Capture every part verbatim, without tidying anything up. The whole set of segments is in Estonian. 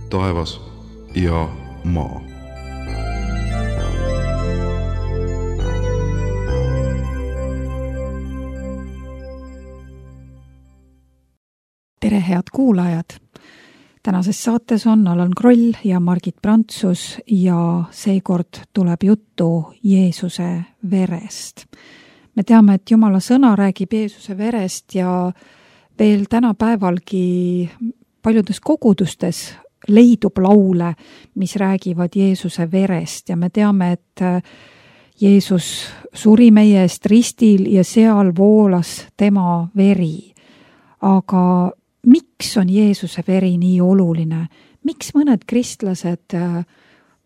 taevas ja maa. Tere, head kuulajad! Tänases saates on Allan Kroll ja Margit Prantsus ja seekord tuleb juttu Jeesuse verest. Me teame, et Jumala sõna räägib Jeesuse verest ja veel tänapäevalgi paljudes kogudustes leidub laule, mis räägivad Jeesuse verest ja me teame, et Jeesus suri meie eest ristil ja seal voolas tema veri. Aga miks on Jeesuse veri nii oluline? Miks mõned kristlased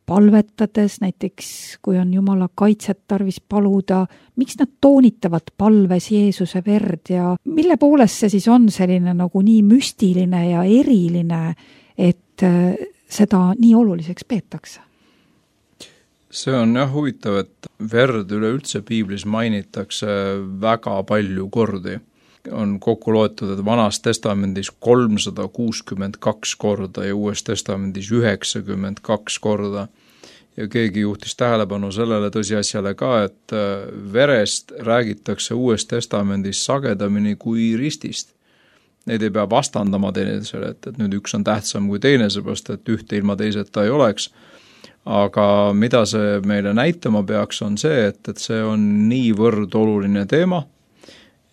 palvetades, näiteks kui on Jumala kaitset tarvis paluda, miks nad toonitavad palves Jeesuse verd ja mille poolest see siis on selline nagu nii müstiline ja eriline, et seda nii oluliseks peetakse? See on jah huvitav, et verd üleüldse piiblis mainitakse väga palju kordi. On kokku loetud, et Vanas testamendis kolmsada kuuskümmend kaks korda ja Uues testamendis üheksakümmend kaks korda. Ja keegi juhtis tähelepanu sellele tõsiasjale ka, et verest räägitakse Uues testamendis sagedamini kui ristist. Neid ei pea vastandama teineteisele, et, et nüüd üks on tähtsam kui teine, seepärast, et ühte ilma teiseta ei oleks. Aga mida see meile näitama peaks, on see, et, et see on niivõrd oluline teema,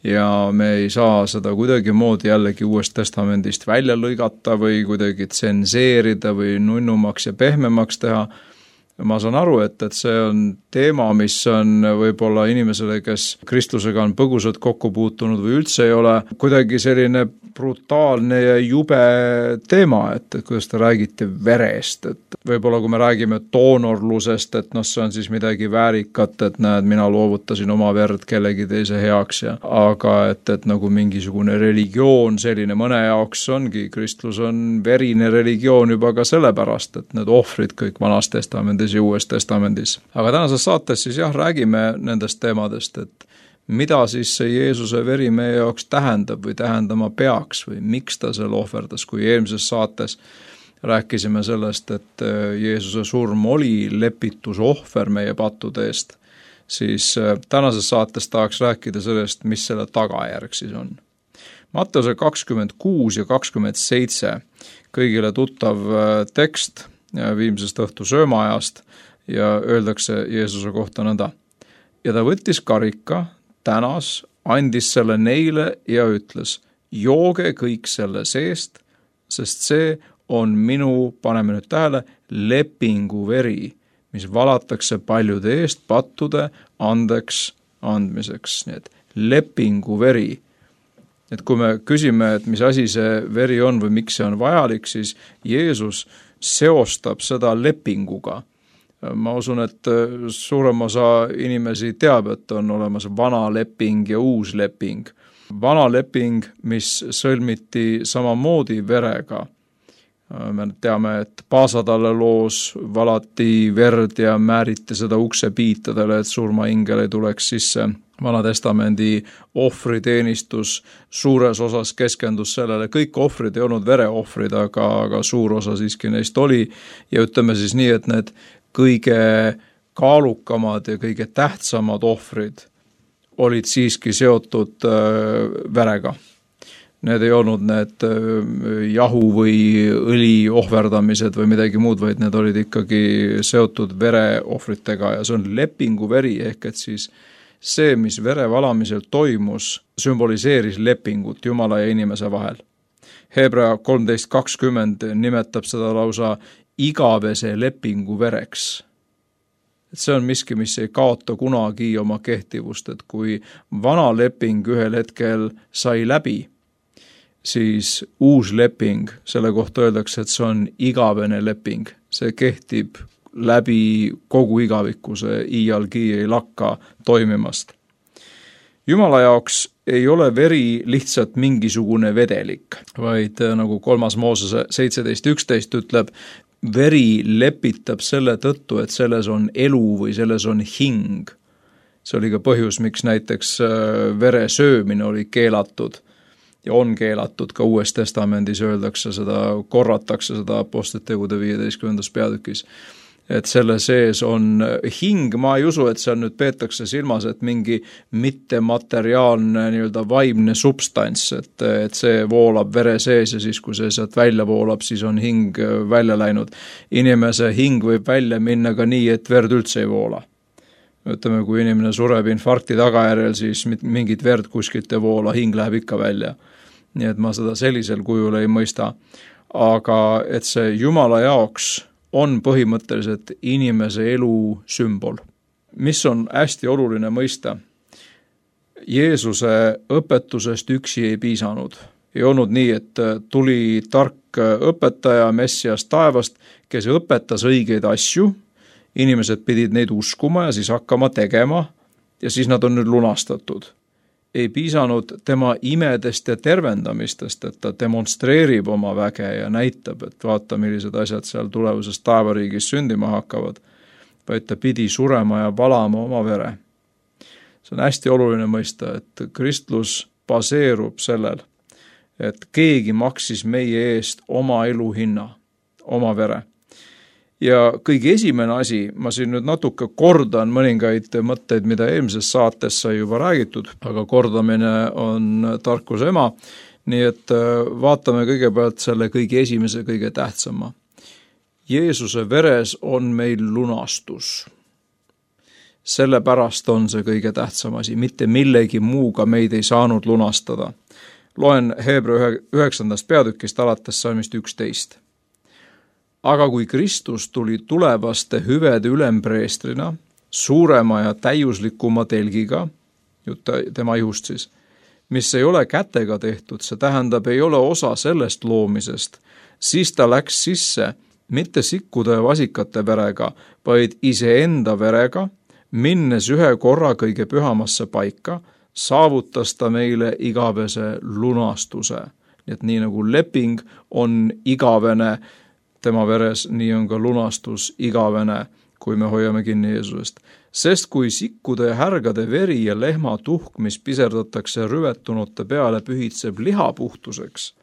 ja me ei saa seda kuidagi moodi jällegi Uuest testamendist välja lõigata või kuidagi tsenseerida või nunnumaks ja pehmemaks teha. Ma saan aru, et, et see on teema, mis on võib-olla inimesele, kes kristlusega on põgusalt kokku puutunud või üldse ei ole, kuidagi selline brutaalne ja jube teema, et, et kuidas te räägite verest, et võib-olla kui me räägime doonorlusest, et noh, see on siis midagi väärikat, et näed, mina loovutasin oma verd kellegi teise heaks, ja, aga et, et nagu mingisugune religioon selline mõne jaoks ongi, kristlus on verine religioon juba ka sellepärast, et need ohvrid kõik Vanas testamendis ja Uues testamendis. Aga tänases saates siis jah, räägime nendest teemadest, et mida siis see Jeesuse veri meie jaoks tähendab või tähendama peaks või miks ta selle ohverdas, kui eelmises saates rääkisime sellest, et Jeesuse surm oli lepitusohver meie pattude eest, siis tänases saates tahaks rääkida sellest, mis selle tagajärg siis on. Matteuse kakskümmend kuus ja kakskümmend seitse, kõigile tuttav tekst viimsest õhtu söömaajast ja öeldakse Jeesuse kohta nõnda. Ja ta võttis karika, tänas, andis selle neile ja ütles, jooge kõik selle seest, sest see on minu, paneme nüüd tähele, lepingu veri, mis valatakse paljude eest pattude andeks andmiseks. Nii et lepingu veri. Et kui me küsime, et mis asi see veri on või miks see on vajalik, siis Jeesus seostab seda lepinguga. Ma usun, et suurem osa inimesi teab, et on olemas vana leping ja uus leping. Vana leping, mis sõlmiti samamoodi verega. Me teame, et Paasadalle loos valati verd ja määriti seda uksepiitadele, et surmaingel ei tuleks sisse. Vana testamendi ohvriteenistus suures osas keskendus sellele. Kõik ohvrid ei olnud vereohvrid, aga, aga suur osa siiski neist oli. Ja ütleme siis nii, et need kõige kaalukamad ja kõige tähtsamad ohvrid olid siiski seotud verega. Need ei olnud need jahu või õli ohverdamised või midagi muud, vaid need olid ikkagi seotud vereohvritega ja see on lepingu veri, ehk et siis see, mis vere valamisel toimus, sümboliseeris lepingut Jumala ja inimese vahel. Hebra kolmteist kakskümmend nimetab seda lausa igavese lepingu vereks. Et see on miski, mis ei kaota kunagi oma kehtivust, et kui vana leping ühel hetkel sai läbi, siis uus leping, selle kohta öeldakse, et see on igavene leping. See kehtib läbi kogu igaviku, see iialgi ei lakka toimimast. Jumala jaoks ei ole veri lihtsalt mingisugune vedelik, vaid nagu kolmas Moosese seitseteist üksteist ütleb, veri lepitab selle tõttu, et selles on elu või selles on hing. See oli ka põhjus, miks näiteks vere söömine oli keelatud. ja on keelatud, ka Uues Testamendis öeldakse seda, korratakse seda Apostlite tegude viieteistkümnendas peatükis. Et selle sees on hing, ma ei usu, et seal nüüd peetakse silmas, et mingi mittemateriaalne nii-öelda vaimne substants, et, et see voolab vere sees ja siis, kui see sealt välja voolab, siis on hing välja läinud. Inimese hing võib välja minna ka nii, et verd üldse ei voola. Ütleme, kui inimene sureb infarkti tagajärjel, siis mingit verd kuskilt ei voola, hing läheb ikka välja. Nii et ma seda sellisel kujul ei mõista. Aga et see Jumala jaoks on põhimõtteliselt inimese elu sümbol. Mis on hästi oluline mõista? Jeesuse õpetusest üksi ei piisanud. Ei olnud nii, et tuli tark õpetaja Messias taevast, kes õpetas õigeid asju, inimesed pidid neid uskuma ja siis hakkama tegema ja siis nad on nüüd lunastatud. Ei piisanud tema imedest ja tervendamistest, et ta demonstreerib oma väge ja näitab, et vaata, millised asjad seal tulevases taevariigis sündima hakkavad, vaid ta pidi surema ja valama oma vere. See on hästi oluline mõista, et kristlus baseerub sellel, et keegi maksis meie eest oma elu hinna, oma vere. Ja kõige esimene asi, ma siin nüüd natuke kordan mõningaid mõtteid, mida eelmises saates sai juba räägitud, aga kordamine on tarkuse ema, nii et vaatame kõigepealt selle kõige esimese, kõige tähtsama. Jeesuse veres on meil lunastus. Sellepärast on see kõige tähtsam asi, mitte millegi muuga meid ei saanud lunastada. Loen Heebra üheksandast peatükist alates salmist üksteist. Aga kui Kristus tuli tulevaste hüvede ülempreestrina, suurema ja täiuslikuma telgiga, tema ihust siis, mis ei ole kätega tehtud, see tähendab, ei ole osa sellest loomisest, siis ta läks sisse mitte sikkude ja vasikate verega, vaid iseenda verega, minnes ühe korra kõige pühamasse paika, saavutas ta meile igavese lunastuse. Nii et nii nagu leping on igavene tema veres, nii on ka lunastus igavene, kui me hoiame kinni Jeesusest. Sest kui sikkude ja härgade veri ja lehma tuhk, mis piserdatakse rüvetunute peale, pühitseb liha puhtuseks,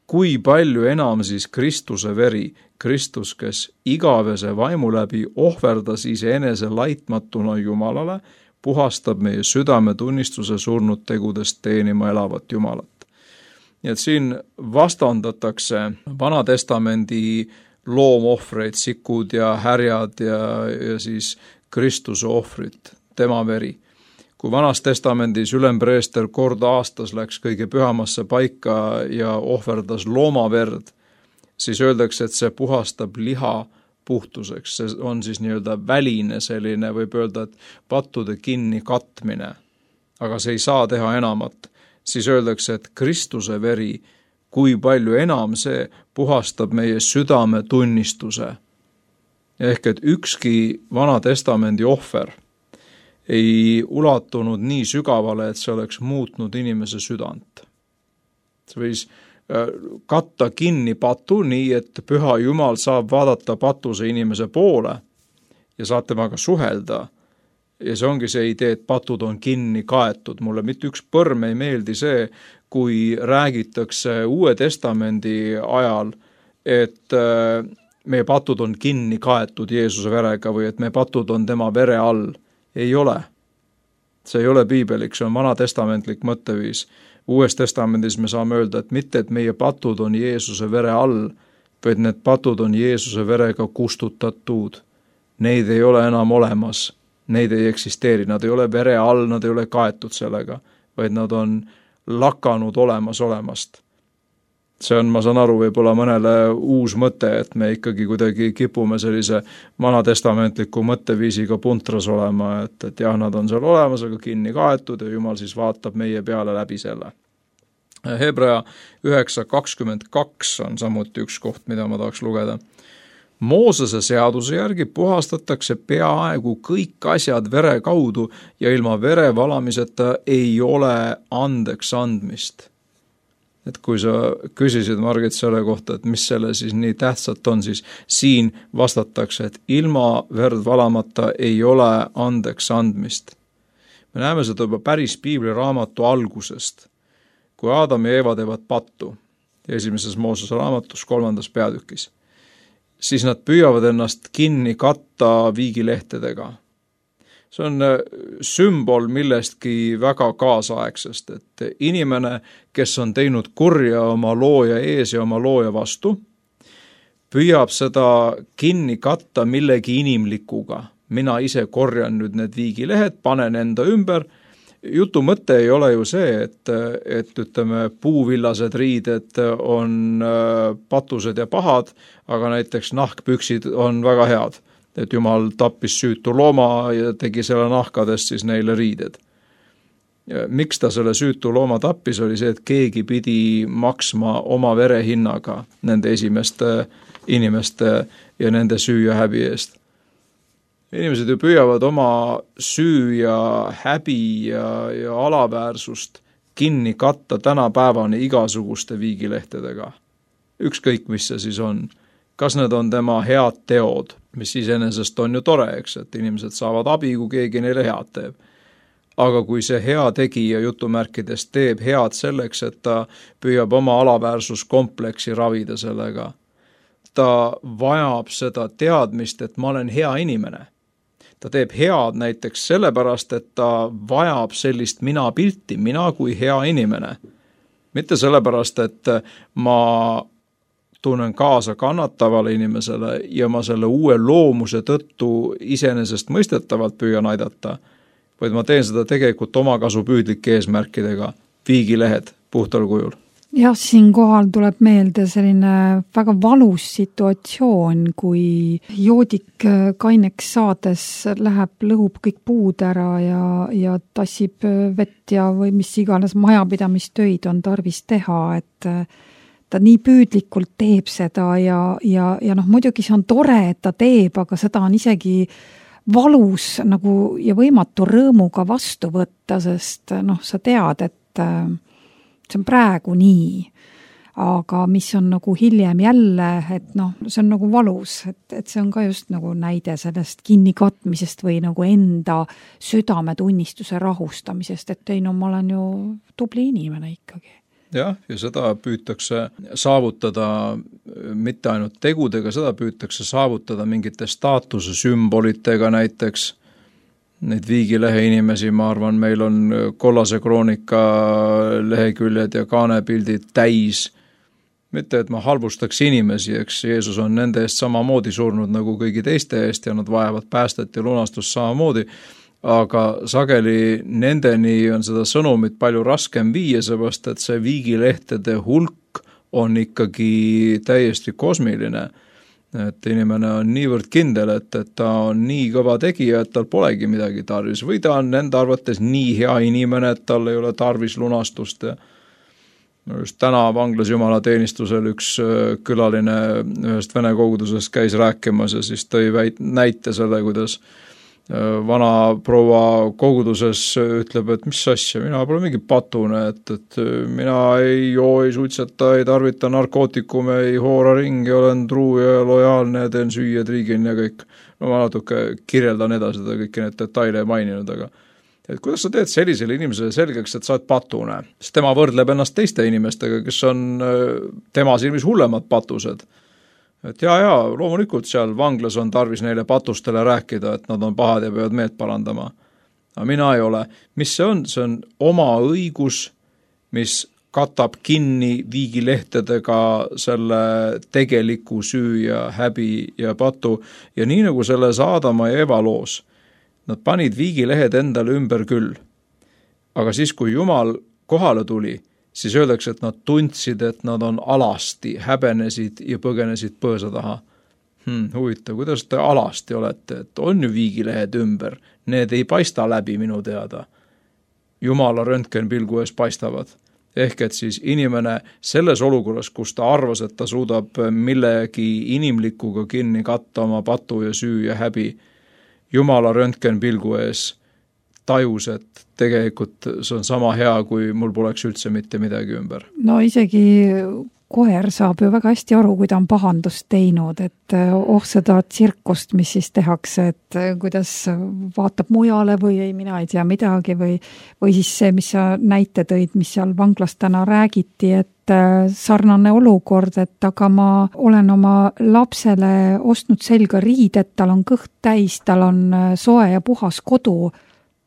kui palju enam siis Kristuse veri, Kristus, kes igavese vaimu läbi ohverdas iseenese laitmatuna Jumalale, puhastab meie südametunnistuse surnud tegudest teenima elavat Jumalat. Nii et siin vastandatakse Vana-testamendi loomohvreid, sikud ja härjad ja, ja siis Kristuse ohvrit, tema veri. Kui Vanas testamendis ülempreester kord aastas läks kõige pühamasse paika ja ohverdas loomaverd, siis öeldakse, et see puhastab liha puhtuseks. See on siis nii-öelda väline selline, võib öelda, et pattude kinni katmine, aga see ei saa teha enamat. Siis öeldakse, et Kristuse veri, kui palju enam see puhastab meie südame tunnistuse. Ehk et ükski Vana-testamendi ohver ei ulatunud nii sügavale, et see oleks muutnud inimese südant. See võis katta kinni patu nii, et püha Jumal saab vaadata patuse inimese poole ja saab temaga suhelda. Ja see ongi see idee, et patud on kinni kaetud. Mulle mitte üks põrm ei meeldi see, kui räägitakse Uue Testamendi ajal, et meie patud on kinni kaetud Jeesuse verega või et meie patud on tema vere all. Ei ole. See ei ole piibelik, see on vanatestamentlik mõtteviis. Uues testamendis me saame öelda, et mitte, et meie patud on Jeesuse vere all, vaid need patud on Jeesuse verega kustutatud. Neid ei ole enam olemas. Neid ei eksisteeri, nad ei ole vere all, nad ei ole kaetud sellega, vaid nad on lakanud olemas olemast. See on, ma saan aru, võib-olla mõnele uus mõte, et me ikkagi kuidagi kipume sellise vanatestamentliku mõtteviisiga puntras olema, et, et jah, nad on seal olemas, aga kinni kaetud ja Jumal siis vaatab meie peale läbi selle. Hebra üheksa kakskümmend kaks on samuti üks koht, mida ma tahaks lugeda. Moosese seaduse järgi puhastatakse peaaegu kõik asjad vere kaudu ja ilma vere valamiseta ei ole andeks andmist. Et kui sa küsisid, Margit, selle kohta, et mis selle siis nii tähtsat on, siis siin vastatakse, et ilma verd valamata ei ole andeks andmist. Me näeme seda juba päris piibliraamatu algusest, kui Aadam ja Eeva teevad pattu, esimeses Moosese raamatus kolmandas peatükis, siis nad püüavad ennast kinni katta viigilehtedega. See on sümbol millestki väga kaasaegsest, et inimene, kes on teinud kurja oma looja ees ja oma looja vastu, püüab seda kinni katta millegi inimlikuga. Mina ise korjan nüüd need viigilehed, panen enda ümber. Jutu mõte ei ole ju see, et, et ütleme, puuvillased riided on patused ja pahad, aga näiteks nahkpüksid on väga head. Et Jumal tappis süütu looma ja tegi selle nahkadest siis neile riided. Ja miks ta selle süütu looma tappis, oli see, et keegi pidi maksma oma verehinnaga nende esimeste inimeste ja nende süü ja häbi eest. Inimesed ju püüavad oma süü ja häbi ja, ja alaväärsust kinni katta tänapäevani igasuguste viigilehtedega. Ükskõik, mis see siis on. Kas need on tema head teod, mis iseenesest on ju tore, eks, et inimesed saavad abi, kui keegi neile head teeb. Aga kui see hea tegija jutumärkides teeb head selleks, et ta püüab oma alaväärsuskompleksi ravida sellega, ta vajab seda teadmist, et ma olen hea inimene. Ta teeb head näiteks sellepärast, et ta vajab sellist mina pilti, mina kui hea inimene. Mitte sellepärast, et ma tunnen kaasa kannatavale inimesele ja ma selle uue loomuse tõttu iseenesest mõistetavalt püüan aidata, vaid ma teen seda tegelikult omakasu püüdlike eesmärkidega, viigilehed puhtal kujul. Jah, siin kohal tuleb meelde selline väga valus situatsioon, kui joodik kaineks saades läheb, lõhub kõik puud ära ja, ja tassib vett ja või mis iganes majapidamistöid on tarvis teha, et ta nii püüdlikult teeb seda ja, ja, ja noh, muidugi see on tore, et ta teeb, aga seda on isegi valus nagu ja võimatu rõõmuga vastu võtta, sest noh, sa tead, et see on praegu nii, aga mis on nagu hiljem jälle, et noh, see on nagu valus, et, et see on ka just nagu näide sellest kinnikatmisest või nagu enda südametunnistuse rahustamisest, et ei no ma olen ju tubli inimene ikkagi. Jah, ja seda püütakse saavutada mitte ainult tegudega, seda püütakse saavutada mingite staatuse sümbolitega näiteks. Neid viigilehe inimesi, ma arvan, meil on kollase kroonika leheküljed ja kaanepildid täis. Mitte, et ma halvustaks inimesi, eks Jeesus on nende eest samamoodi surnud nagu kõigi teiste eest ja nad vajavad päästet ja lunastust samamoodi. Aga sageli nendeni on seda sõnumit palju raskem viia, seepärast et see viigilehtede hulk on ikkagi täiesti kosmiline. Et inimene on niivõrd kindel, et, et ta on nii kõva tegija, et tal polegi midagi tarvis. Või ta on nende arvates nii hea inimene, et tal ei ole tarvis lunastust. Ja just täna vanglas jumalateenistusel üks külaline ühest vene kogudusest käis rääkimas ja siis tõi väit, näite selle, kuidas vana proua koguduses ütleb, et mis asja, mina pole mingi patune, et, et mina ei joo, ei suitseta, ei tarvita narkootikume, ei hoora ringi, olen truu ja lojaalne, teen süüa, triigin ja kõik. No ma natuke kirjeldan edasi seda kõiki need detaile maininud, aga et kuidas sa teed sellisele inimesele selgeks, et sa oled patune? Sest tema võrdleb ennast teiste inimestega, kes on tema silmis hullemad patused. Et jaa, jaa, loomulikult seal vanglas on tarvis neile patustele rääkida, et nad on pahad ja peavad meelt parandama. Aga mina ei ole. Mis see on? See on oma õigus, mis katab kinni viigilehtedega selle tegeliku süü ja häbi ja patu. Ja nii nagu selles Aadama ja Eva loos, nad panid viigilehed endale ümber küll. Aga siis, kui Jumal kohale tuli, siis öeldakse, et nad tundsid, et nad on alasti, häbenesid ja põgenesid põõsa taha. Hmm, huvitav, kuidas te alasti olete, et on ju viigilehed ümber, need ei paista läbi minu teada. Jumala röntgenpilgu ees paistavad. Ehk et siis inimene selles olukorras, kus ta arvas, et ta suudab millegi inimlikuga kinni katta oma patu ja süü ja häbi, Jumala röntgenpilgu ees tajus, et tegelikult see on sama hea, kui mul poleks üldse mitte midagi ümber. No isegi koer saab ju väga hästi aru, kui ta on pahandust teinud, et oh seda tsirkust, mis siis tehakse, et kuidas vaatab mujale või ei, mina ei tea midagi või, või siis see, mis sa näite tõid, mis seal vanglas täna räägiti, et sarnane olukord, et aga ma olen oma lapsele ostnud selga riided, tal on kõht täis, tal on soe ja puhas kodu.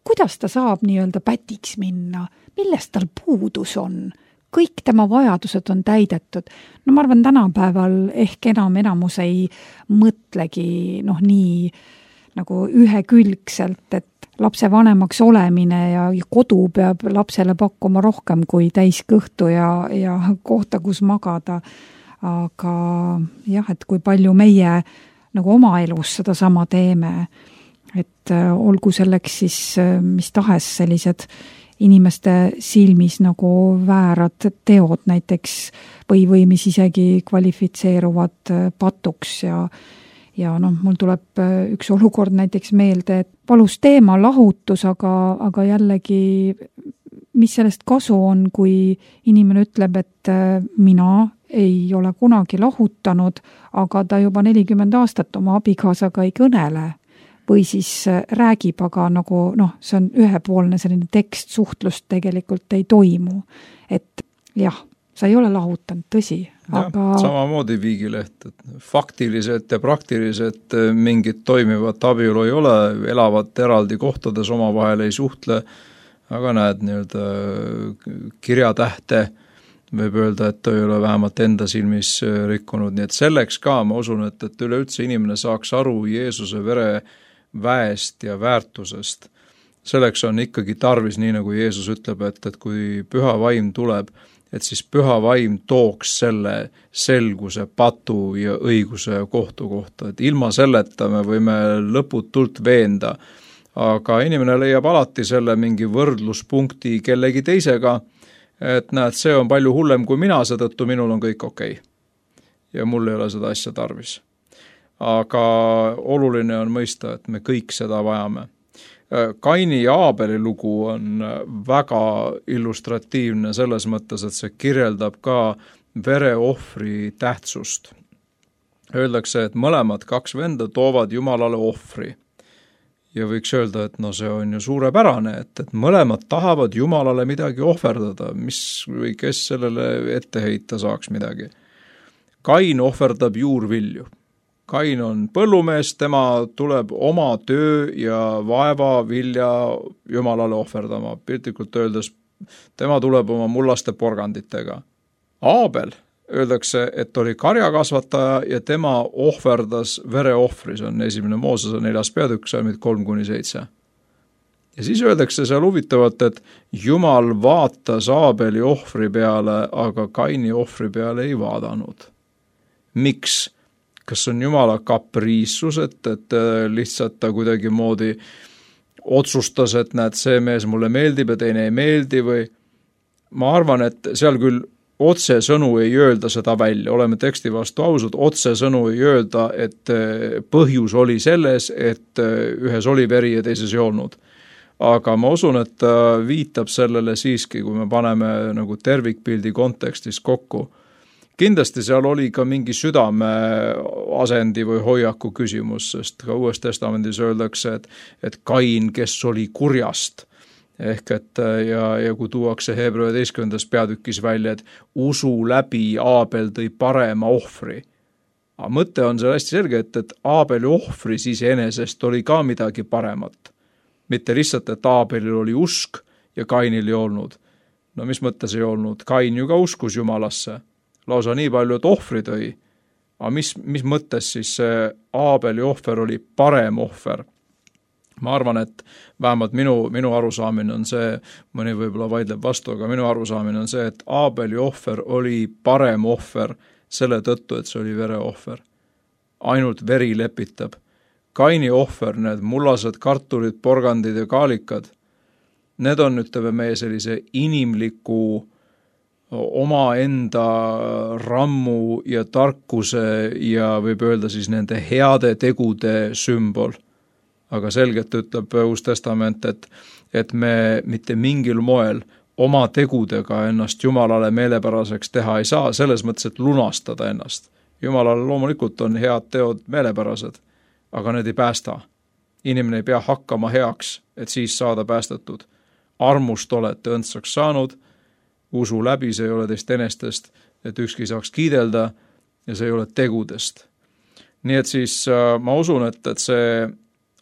Kuidas ta saab nii-öelda pätiks minna? Millest tal puudus on? Kõik tema vajadused on täidetud. No ma arvan, tänapäeval ehk enam enamus ei mõtlegi noh, nii nagu ühekülgselt, et lapse vanemaks olemine ja kodu peab lapsele pakkuma rohkem kui täiskõhtu ja, ja kohta, kus magada. Aga jah, et kui palju meie nagu oma elus seda sama teeme, et olgu selleks siis mis tahes sellised inimeste silmis nagu väärad teod näiteks või, või mis isegi kvalifitseeruvad patuks ja, ja noh, mul tuleb üks olukord näiteks meelde, et palus teema lahutus, aga, aga jällegi mis sellest kasu on, kui inimene ütleb, et mina ei ole kunagi lahutanud, aga ta juba nelikümmend aastat oma abikaasaga ei kõnele. Või siis räägib, aga nagu noh, see on ühepoolne selline tekst, suhtlust tegelikult ei toimu. Et jah, sa ei ole lahutanud, tõsi. Aga... Ja, samamoodi Viigileht, et faktiliselt ja praktiliselt mingit toimivat abielu ei ole, elavad eraldi kohtades, omavahel ei suhtle, aga näed nii-öelda kirjatähte võib öelda, et ta ei ole vähemalt enda silmis rikkunud, nii et selleks ka ma usun, et, et üleüldse inimene saaks aru Jeesuse vere väest ja väärtusest. Selleks on ikkagi tarvis, nii nagu Jeesus ütleb, et, et kui püha vaim tuleb, et siis püha vaim tooks selle selguse, patu ja õiguse kohtu kohta. Et ilma selleta me võime lõputult veenda, aga inimene leiab alati selle mingi võrdluspunkti kellegi teisega, et näed, see on palju hullem kui mina, seetõttu minul on kõik okei. Ja mul ei ole seda asja tarvis. Aga oluline on mõista, et me kõik seda vajame. Kaini ja Aabeli lugu on väga illustratiivne selles mõttes, et see kirjeldab ka vereohvri tähtsust. Öeldakse, et mõlemad kaks venda toovad Jumalale ohvri. Ja võiks öelda, et no see on ju suurepärane, et, et mõlemad tahavad Jumalale midagi ohverdada, mis või kes sellele ette heita saaks midagi. Kain ohverdab juurvilju. Kain on põllumees, tema tuleb oma töö ja vaeva vilja Jumalale ohverdama. Piltlikult öeldes, tema tuleb oma mullaste porganditega. Aabel, öeldakse, et oli karjakasvataja ja tema ohverdas vereohvri, see on esimene Moosese neljas peatükk, salmid kolm kuni seitse. Ja siis öeldakse seal huvitavalt, et Jumal vaatas Aabeli ohvri peale, aga Kaini ohvri peale ei vaadanud. Miks? Kas on Jumala kapriissus, et, et lihtsalt ta kuidagi moodi otsustas, et näed, see mees mulle meeldib ja teine ei meeldi või ma arvan, et seal küll otse sõnu ei öelda seda välja, oleme teksti vastu ausad, otse sõnu ei öelda, et põhjus oli selles, et ühes oli veri ja teises ei olnud. Aga ma usun, et ta viitab sellele siiski, kui me paneme nagu tervikpildi kontekstis kokku. Kindlasti seal oli ka mingi südame asendi või hoiaku küsimus, sest ka Uues Testamendis öeldakse, et, et Kain, kes oli kurjast, ehk et ja, ja kui tuuakse Heebrea üheteistkümnendas peatükis välja, et usu läbi Aabel tõi parema ohvri. Aga mõte on seal hästi selge, et, et Aabeli ohvri siis enesest oli ka midagi paremat. Mitte lihtsalt, et Aabelil oli usk ja Kainil ei olnud. No mis mõttes ei olnud? Kain ju ka uskus Jumalasse. Lausa nii palju, et ohvri tõi. Aga mis, mis mõttes siis see Aabeli ohver oli parem ohver? Ma arvan, et vähemalt minu, minu arusaamine on see, mõni võib-olla vaidleb vastu, aga minu arusaamine on see, et Aabeli ohver oli parem ohver selle tõttu, et see oli vereohver. Ainult veri lepitab. Kaini ohver, need mullased kartulid, porgandid ja kaalikad, need on, ütleme, meie sellise inimliku oma enda rammu ja tarkuse ja võib öelda siis nende heade tegude sümbol. Aga selgelt ütleb Uus Testament, et, et me mitte mingil moel oma tegudega ennast Jumalale meelepäraseks teha ei saa, selles mõttes, et lunastada ennast. Jumalale loomulikult on head teod meelepärased, aga need ei päästa. Inimene ei pea hakkama heaks, et siis saada päästetud. Armust olete õndsaks saanud, usu läbi, see ei ole teist enestest, et ükski saaks kiidelda ja see ei ole tegudest. Nii et siis äh, ma usun, et, et see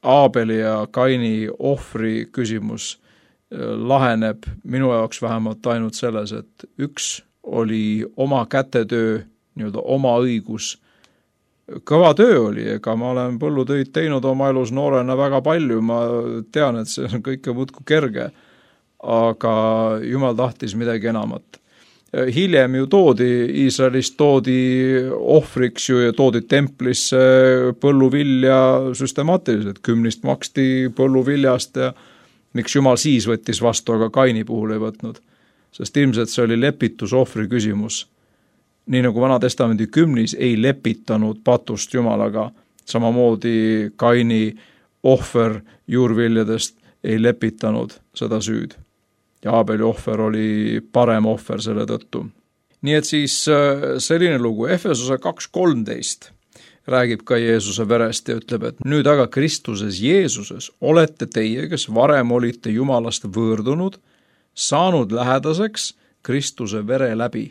Aabeli ja Kaini ohvri küsimus äh, laheneb minu jaoks vähemalt ainult selles, et üks oli oma kätetöö, nii-öelda oma õigus. Kõva töö oli, ega ma olen põllutöid teinud oma elus noorena väga palju, ma tean, et see on kõike muudku kerge, aga Jumal tahtis midagi enamat. Hiljem ju toodi, Iisraelist toodi ohvriks ju ja toodi templisse põlluvilja süstemaatiliselt, kümnist maksti põlluviljast ja miks Jumal siis võttis vastu, aga Kaini puhul ei võtnud. Sest ilmselt see oli lepitusohvri küsimus. Nii nagu Vana Testamendi kümnis ei lepitanud patust Jumalaga, samamoodi Kaini ohver juurviljadest ei lepitanud seda süüd. Ja Aabeli ohver oli parem ohver selle tõttu. Nii et siis selline lugu, Efesuse kaks kolmteist räägib ka Jeesuse verest ja ütleb, et nüüd aga Kristuses Jeesuses olete teie, kes varem olite Jumalast võõrdunud, saanud lähedaseks Kristuse vere läbi.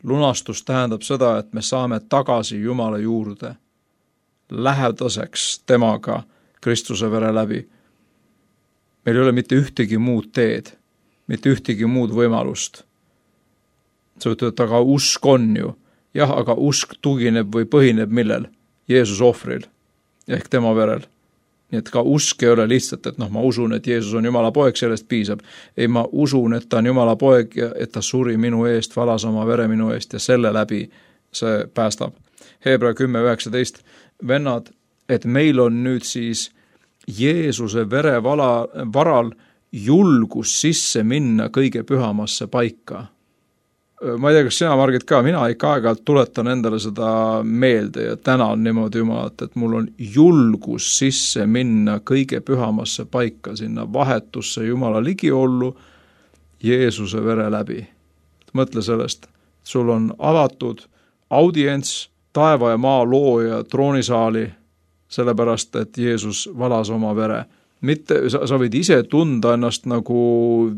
Lunastus tähendab seda, et me saame tagasi Jumala juurde, lähedaseks temaga Kristuse vere läbi. Meil ei ole mitte ühtegi muud teed, mitte ühtegi muud võimalust. Sa ütled, aga usk on ju. Jah, aga usk tugineb või põhineb millel? Jeesus ohvril, ehk tema verel. Nii et ka usk ei ole lihtsalt, et noh, ma usun, et Jeesus on Jumala poeg, sellest piisab. Ei, ma usun, et ta on Jumala poeg ja et ta suri minu eest, valas oma vere minu eest ja selle läbi see päästab. Hebra kümme üheksateist, vennad, et meil on nüüd siis Jeesuse vere vala, varal julgus sisse minna kõige pühamasse paika. Ma ei tea, kas sina, Margit, ka, mina ikka aeg-ajalt tuletan endale seda meelde ja tänan niimoodi Jumalat, et mul on julgus sisse minna kõige pühamasse paika, sinna vahetusse Jumala ligiollu Jeesuse vere läbi. Mõtle sellest, sul on avatud audients taeva ja maa looja troonisaali, sellepärast, et Jeesus valas oma vere. Mitte, sa, sa võid ise tunda ennast nagu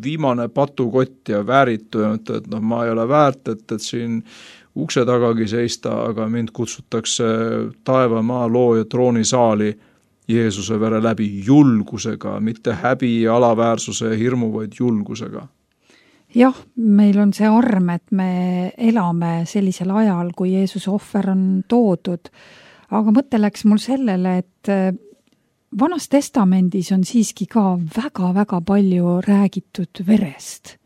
viimane patukott ja vääritu ja mõtle, et noh, ma ei ole väärt, et, et siin ukse tagagi seista, aga mind kutsutakse taeva maa looja troonisaali Jeesuse vere läbi julgusega, mitte häbi, alaväärsuse ja hirmu, vaid julgusega. Jah, meil on see arm, et me elame sellisel ajal, kui Jeesuse ohver on toodud, aga mõte läks mul sellele, et Vanas testamendis on siiski ka väga-väga palju räägitud verest.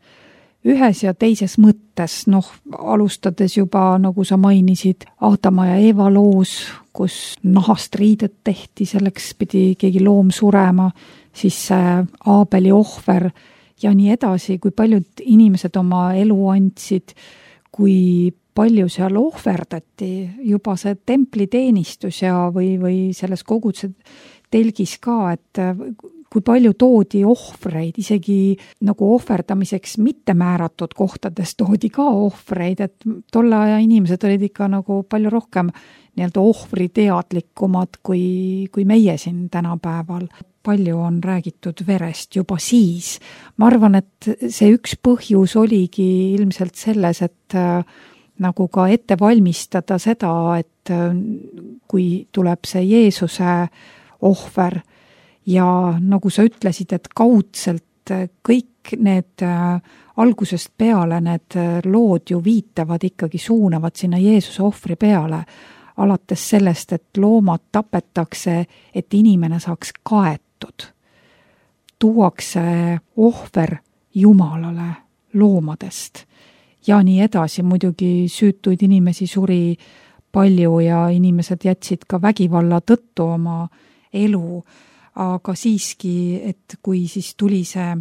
Ühes ja teises mõttes, noh, alustades juba, nagu sa mainisid, Aadama ja Eeva loos, kus nahast riidet tehti, selleks pidi keegi loom surema, siis Aabeli ohver ja nii edasi, kui paljud inimesed oma elu andsid, kui palju seal ohverdati, juba see templiteenistus ja või, või selles koguduse telgis ka, et kui palju toodi ohvreid, isegi nagu ohverdamiseks mitte määratud kohtades toodi ka ohvreid, et tolle aja inimesed olid ikka nagu palju rohkem nii-öelda ohvriteadlikumad kui, kui meie siin tänapäeval. Palju on räägitud verest juba siis. Ma arvan, et see üks põhjus oligi ilmselt selles, et nagu ka ette valmistada seda, et kui tuleb see Jeesuse ohver ja nagu sa ütlesid, et kaudselt kõik need algusest peale need lood ju viitavad ikkagi suunavad sinna Jeesuse ohvri peale, alates sellest, et loomad tapetakse, et inimene saaks kaetud. Tuuakse ohver Jumalale loomadest ja nii edasi, muidugi süütuid inimesi suri palju ja inimesed jätsid ka vägivalla tõttu oma elu, aga siiski, et kui siis tuli see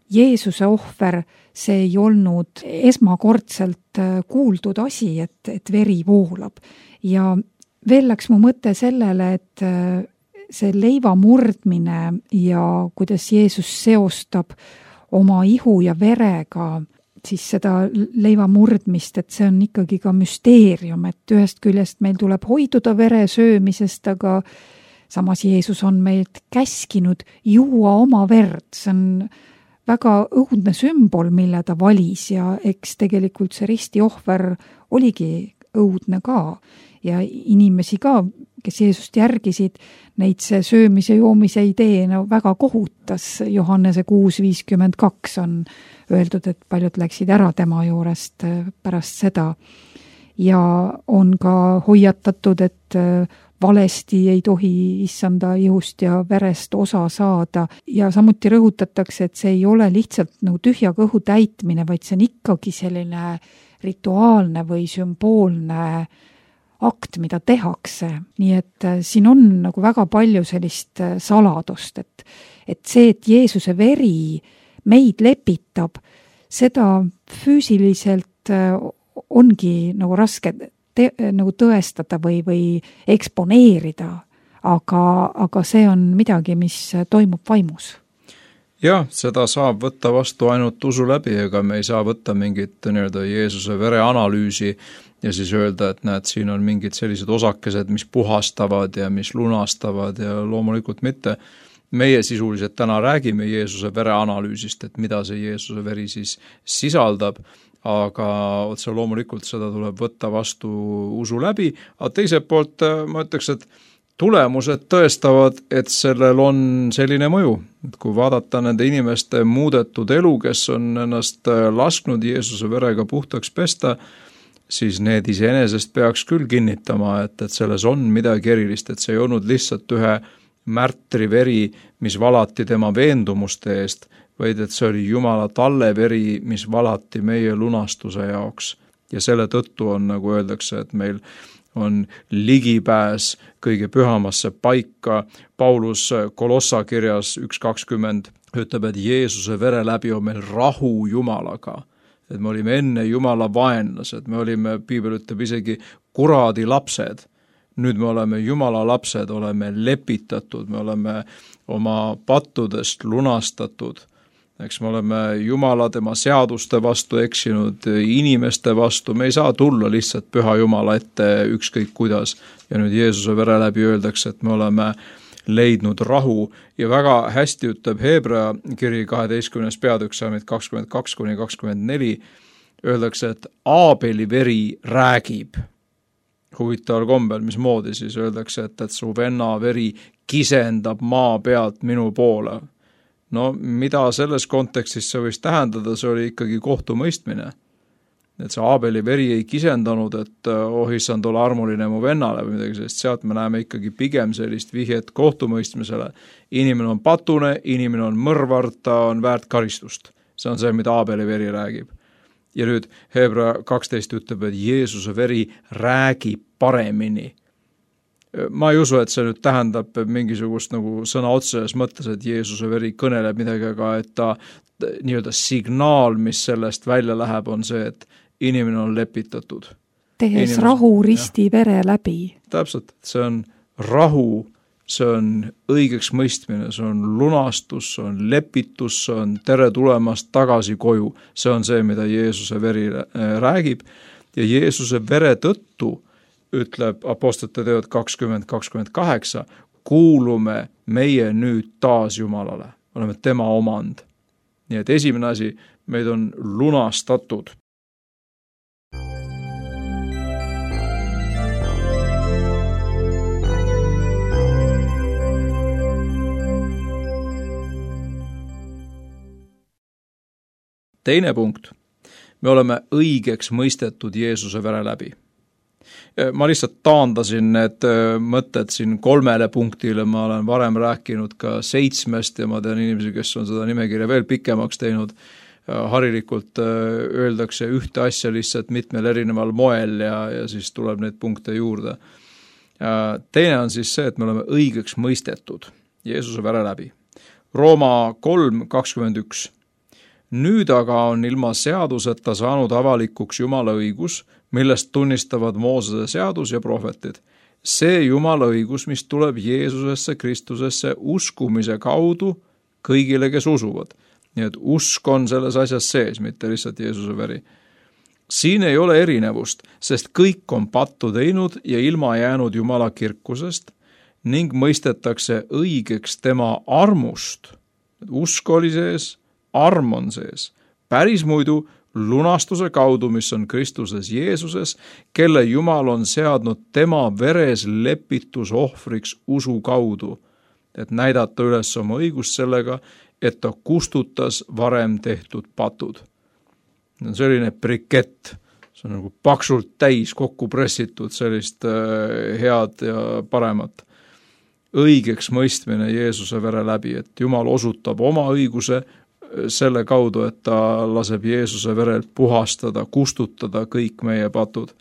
Jeesuse ohver, see ei olnud esmakordselt kuuldud asi, et, et veri voolab. Ja veel läks mu mõte sellele, et see leiva murdmine ja kuidas Jeesus seostab oma ihu ja verega siis seda leiva murdmist, et see on ikkagi ka müsteerium, et ühest küljest meil tuleb hoiduda vere söömisest, aga samas Jeesus on meilt käskinud juua oma verd, see on väga õudne sümbol, mille ta valis ja eks tegelikult see ristiohver oligi õudne ka ja inimesi ka, kes Jeesust järgisid, neid see söömise joomise idee no, väga kohutas. Johannese kuus viiskümmend kaks on öeldud, et paljud läksid ära tema juurest pärast seda ja on ka hoiatatud, et valesti ei tohi issanda ihust ja verest osa saada ja samuti rõhutatakse, et see ei ole lihtsalt nagu tühja kõhu täitmine, vaid see on ikkagi selline rituaalne või sümboolne akt, mida tehakse. Nii et siin on nagu väga palju sellist saladust, et, et see, et Jeesuse veri meid lepitab, seda füüsiliselt ongi nagu raske te, nagu tõestada või, või eksponeerida, aga, aga see on midagi, mis toimub vaimus. Jah, seda saab võtta vastu ainult usu läbi, ega me ei saa võtta mingit nii-öelda Jeesuse vere analüüsi ja siis öelda, et näed, siin on mingid sellised osakesed, mis puhastavad ja mis lunastavad ja loomulikult mitte. Meie sisuliselt täna räägime Jeesuse vere analüüsist, et mida see Jeesuse veri siis sisaldab, aga otse loomulikult seda tuleb võtta vastu usu läbi, aga teiselt poolt ma ütleks, et tulemused tõestavad, et sellel on selline mõju. Et kui vaadata nende inimeste muudetud elu, kes on ennast lasknud Jeesuse verega puhtaks pesta, siis need iseenesest peaks küll kinnitama, et, et selles on midagi erilist, et see ei olnud lihtsalt ühe märtri veri, mis valati tema veendumuste eest, vaid et see oli Jumala talle veri, mis valati meie lunastuse jaoks. Ja selle tõttu on, nagu öeldakse, et meil on ligipääs kõige pühamasse paika. Paulus Kolossa kirjas üks kakskümmend ütleb, et Jeesuse vere läbi on meil rahu Jumalaga. Et me olime enne Jumala vaenlased, me olime, piibel ütleb isegi kuradi lapsed. Nüüd me oleme Jumala lapsed, oleme lepitatud, me oleme oma pattudest lunastatud. Eks me oleme Jumala tema seaduste vastu eksinud, inimeste vastu, me ei saa tulla lihtsalt püha Jumala ette ükskõik kuidas. Ja nüüd Jeesuse vere läbi öeldakse, et me oleme leidnud rahu ja väga hästi ütleb Hebra kiri kaheteistkümnes peatükk salmid kakskümmend kaks kuni kakskümmend neli, öeldakse, et Aabeli veri räägib. Huvitaval kombel, mis moodi siis öeldakse, et, et su venna veri kisendab maa pealt minu poole. No mida selles kontekstis see võis tähendada, see oli ikkagi kohtumõistmine. Et see Aabeli veri ei kisendanud, et oh issand, ole armuline mu vennale või midagi sellist, sealt me näeme ikkagi pigem sellist vihjet kohtumõistmisele. Inimene on patune, inimene on mõrvar, ta on väärt karistust. See on see, mida Aabeli veri räägib. Ja nüüd Hebra kaksteist ütleb, et Jeesuse veri räägib paremini. Ma ei usu, et see nüüd tähendab mingisugust nagu sõna otseses mõttes, et Jeesuse veri kõneleb midagi, aga et ta nii-öelda signaal, mis sellest välja läheb, on see, et inimene on lepitatud. Tehes inimene, rahu risti ja. Vere läbi. Täpselt, see on rahu, see on õigeks mõistmine, see on lunastus, see on lepitus, see on tere tulemast tagasi koju. See on see, mida Jeesuse veri räägib ja Jeesuse vere tõttu ütleb apostlite teod kakskümmend kakskümmend kaheksa, kuulume meie nüüd taas Jumalale. Oleme tema omand. Nii et esimene asi, meid on lunastatud. Teine punkt. Me oleme õigeks mõistetud Jeesuse vere läbi. Ma lihtsalt taandasin need mõtted siin kolmele punktile, ma olen varem rääkinud ka seitsmest ja ma tean inimesi, kes on seda nimekirja veel pikemaks teinud. Harilikult öeldakse ühte asja lihtsalt mitmel erineval moel ja, ja siis tuleb neid punkte juurde. Teine on siis see, et me oleme õigeks mõistetud Jeesuse vere läbi. Rooma kolm kakskümmend üks. Nüüd aga on ilma seaduseta saanud avalikuks Jumala õigus, millest tunnistavad Moosese seadus ja prohvetid. See Jumala õigus, mis tuleb Jeesusesse Kristusesse uskumise kaudu kõigile, kes usuvad. nii et usk on selles asjas sees, mitte lihtsalt Jeesuse veri. Siin ei ole erinevust, sest kõik on pattu teinud ja ilma jäänud Jumala kirkusest ning mõistetakse õigeks tema armust. Usk oli sees, arm on sees. Päris muidu lunastuse kaudu, mis on Kristuses Jeesuses, kelle Jumal on seadnud tema veres lepitusohvriks usu kaudu, et näidata üles oma õigust sellega, et ta kustutas varem tehtud patud. See on selline brikett, see on nagu paksult täis kokku pressitud sellist head ja paremat. Õigeks mõistmine Jeesuse vere läbi, et Jumal osutab oma õiguse selle kaudu, et ta laseb Jeesuse verelt puhastada, kustutada kõik meie patud.